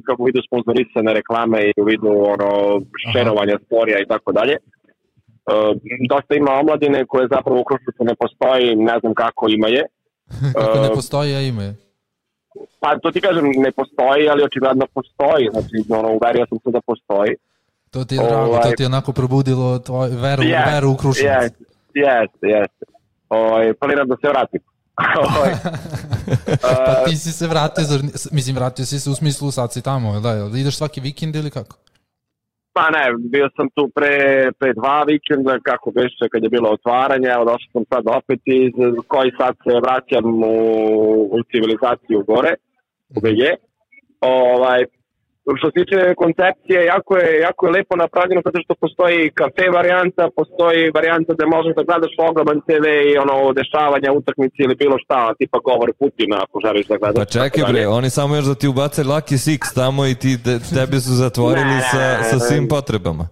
kako u vidu sponzorisane reklame i u vidu šerovanja storija i tako dalje. Dosta ima omladine koje zapravo u Kruševcu ne postoji, ne znam kako ima je. Kako ne postoji, a ima je? Pa to ti kažem, ne postoji, ali očigledno postoji, znači uverio sam se da postoji. To ti je drago, to ti je onako probudilo tvoju veru u Kruševac. Jeste. Planiram da se vratim. Pa ti si se vratio, vratio si se u smislu sad si tamo, da ideš svaki vikend ili kako? Pa ne, bio sam tu pre 2 vikenda, kako beše kad je bilo otvaranje, evo došao sam sad opet i koji sad se vraćam u civilizaciju gore, u BG. Što se tiče koncepcije, jako je lepo napravljeno, zato što postoji kafe varijanta, postoji varijanta da možeš da gledaš ogroman TV i dešavanja, utakmice ili bilo šta, tipa govor Putina, ako želiš da gledaš. Pa čekaj bre, oni samo još da ti ubace Lucky Six tamo i tebe su zatvorili sa svim potrebama.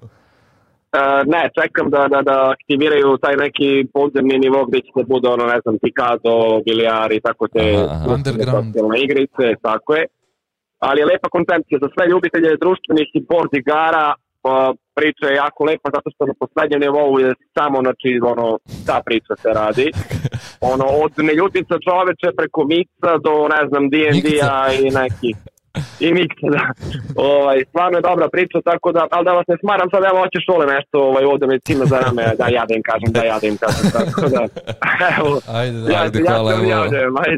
Ne, čekam da aktiviraju taj neki podzemni nivo gdje će da bude ne znam, Pikado, bilijar i tako te underground igrice, tako je. Ali je lepa koncepcija za sve ljubitelje društvenih i board igara, priča je jako lepa zato što na poslednjem nivou je samo, znači, ta priča se radi. Od Neljutica čoveče preko Miksa do, ne znam, D&D-a i neki... I Miksa, da. Stvarno je dobra priča, tako da, ali da vas ne smaram, sad evo hoćeš nešto ovdje medicina za rame, da ja da im kažem, tako da, evo. Ajde, hvala, evo,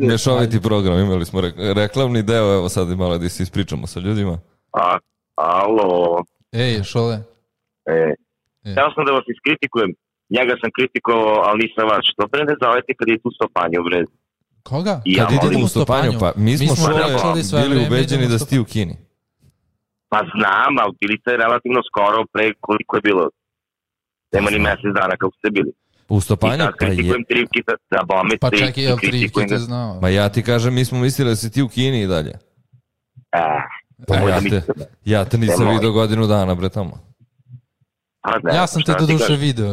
mješoviti program, imali smo reklamni deo, evo sad malo da se ispričamo sa ljudima. Alo. Ej, Šole. Htio sam da vas iskritikujem, njega sam kritikovao, ali nisam vas, što pre ne zovete kad je tu stopanju u Brezi. Koga? Kad idemo u stopanju, pa mi smo bili ubeđeni da si ti u Kini. Pa znam, ali bili ste relativno skoro pre koliko je bilo. Nema ni mjesec dana kako ste bili. U stopanju? Pa čekaj, je li Trivki te znao? Ma ja ti kažem, mi smo mislili da si ti u Kini i dalje. Ja te nisam vidio godinu dana, bre, tamo. Ja sam te do duše video,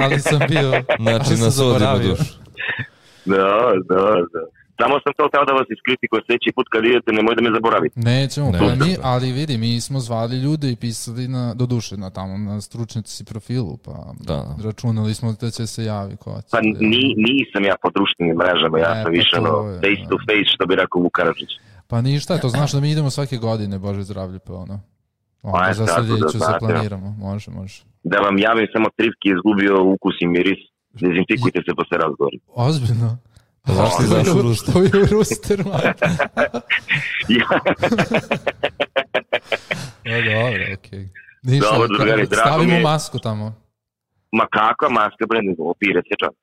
ali sam bio... Znači, na sodimo dušu. Da. Samo sam to htio da vas iskritikujem, sljedeći put kad idete nemoj da me zaboravite. Nećemo, ali vidi, mi smo zvali ljude i pisali do duše na stručnici profilu, pa računali smo da će se javi ko će. Pa nisam ja po društvenim mrežama, ja sam više face to face, što bi rekao Vuk Karadžić. Pa ništa, to znaš da mi idemo svake godine, Bože zdravlje, pa ono. Pa, Za tako sljedeću da se znate. planiramo, može. Da vam javim samo Tripki izgubio ukus i miris. Dezinfikujte se posle razgovora. Ozbiljno? Zašto ti zašao u ruster? To je u ruster, man. Dobro, okej. Ništa, Dobro, drugari, drago mi stavimo je. masku tamo. Ma kakva maska, bre, opire se čak.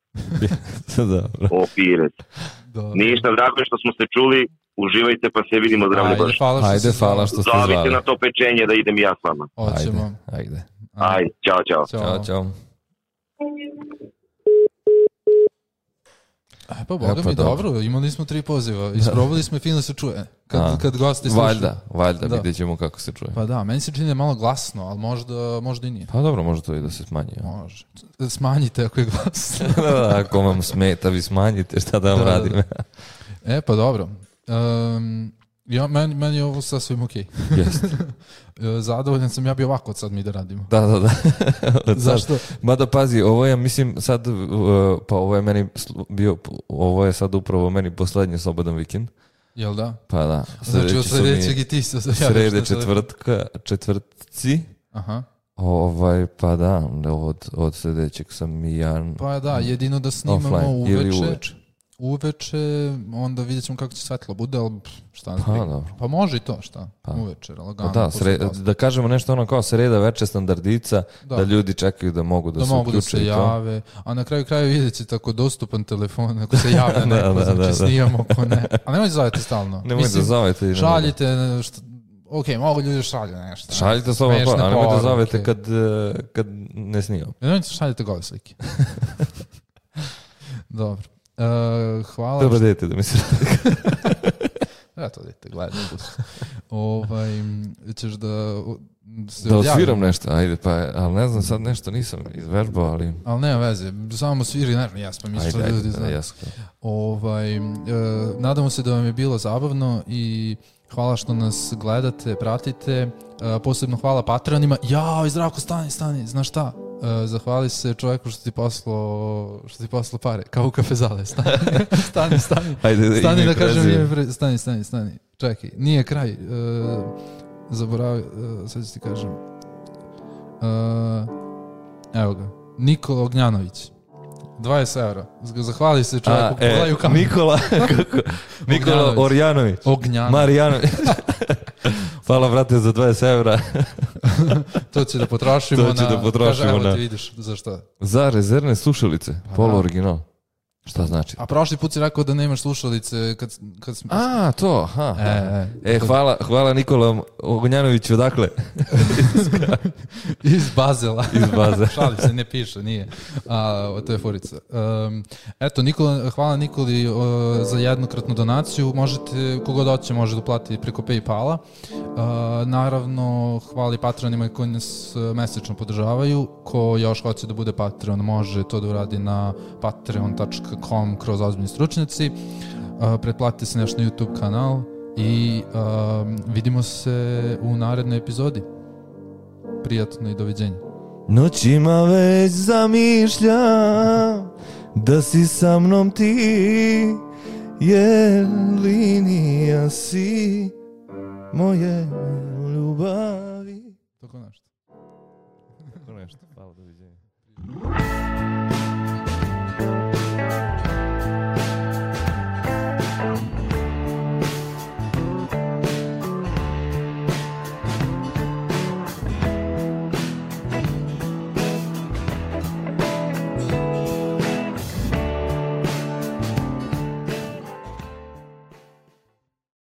Dobro. Opire se. Dobro. Ništa, drago je što smo se čuli. Uživajte pa se vidimo zdravlje Ajde, baš. hvala što Ajde, si hvala što ste Zovite zvali. na to pečenje da idem i ja s vama. Hoćemo. Ajde. Ajde, čao. Ćao, čao. Pa boga mi, dobro, imali smo 3 poziva. Isprobali smo i fino se čuje. Kad gosti slušaju. Valjda, vidjet ćemo kako se čuje. Pa da, meni se čini malo glasno, ali možda i nije. Pa dobro, može to i da se smanji. Može. Smanjite ako je glasno. Ako vam smeta, vi smanjite, šta da vam radim. Pa dobro. Meni je ovo sasvim okej. Jeste. Zadovoljan sam, ja bi ovako od sad mi da radimo. Da. Zašto? Mada pazi, ovo je, mislim, sad, pa ovo je meni bio, ovo je sad upravo meni poslednji slobodan vikend. Jel da? Pa da. Znači od sljedećeg i ti se srede, četvrtci. Aha. Pa da, od sljedećeg sam i ja Pa da, jedino da snimamo offline, uveče, onda vidjet ćemo kako će svetlo bude, ali šta ne dobro. Pa može i to, šta? Uveče, lagano. Pa da kažemo nešto ono kao sreda veče standardica, da ljudi čekaju da mogu da se mogu da se jave, a na kraju vidjet će tako dostupan telefon, ako se jave neko, znači snijamo, ako ne. A nemojte zovete stalno. Nemojte da zovete. Šaljite nešto. Ok, mogu ljudi šalju nešto. Šaljite slovo, a nemojte da zovete kad ne snijam. Nemojte šaljite gole slike. Dobro. Hvala. Treba dete da mi se radi. Ja to dete, gledaj. Ćeš da odsviram nešto, ajde, ali ne znam, sad nešto nisam izvežbao, ali... Ali nema veze, samo sviri, ne znam, jasno, mislim da ljudi znaju. Nadamo se da vam je bilo zabavno i hvala što nas gledate, pratite, posebno hvala Patreonima. Jao, Zdravko, stani, znaš šta? Zahvali se čovjeku što ti poslao pare, kao u kafezale. Stani. Ajde, stani da kažem ime, stani. Čekaj, nije kraj. Zaboravio, sad ću ti kažem. Evo ga. Nikola Ognjanović. 20 €. Zahvali se čovjeku, pogledaju kameru. Nikola Orjanović. Marijanović. Hvala, brate, za 20 €. To će da potrošimo Kaže, evo ti vidiš, za šta? Za rezervne slušalice, polo original. Šta znači? A prošli put si rekao da nemaš slušalice kad smo... To, hvala Nikola Ognjanoviću, odakle? Iz Bazela. Bazela. Šalim se, ne piše, nije. To je forica. Eto, hvala Nikoli za jednokratnu donaciju. Možete, kogod hoće, može da plati preko PayPala. Naravno, hvala i Patreonima koji nas mesečno podržavaju. Ko još hoće da bude Patreon, može to da uradi na patreon.com kroz ozbiljni stručnjaci. Pretplatite se naš na YouTube kanal i vidimo se u narednoj epizodi. Prijatno i doviđenja. Noćima već zamišljam da si sa mnom ti, jer linija si moje ljubavi. Tako nešto. Hvala, doviđenja.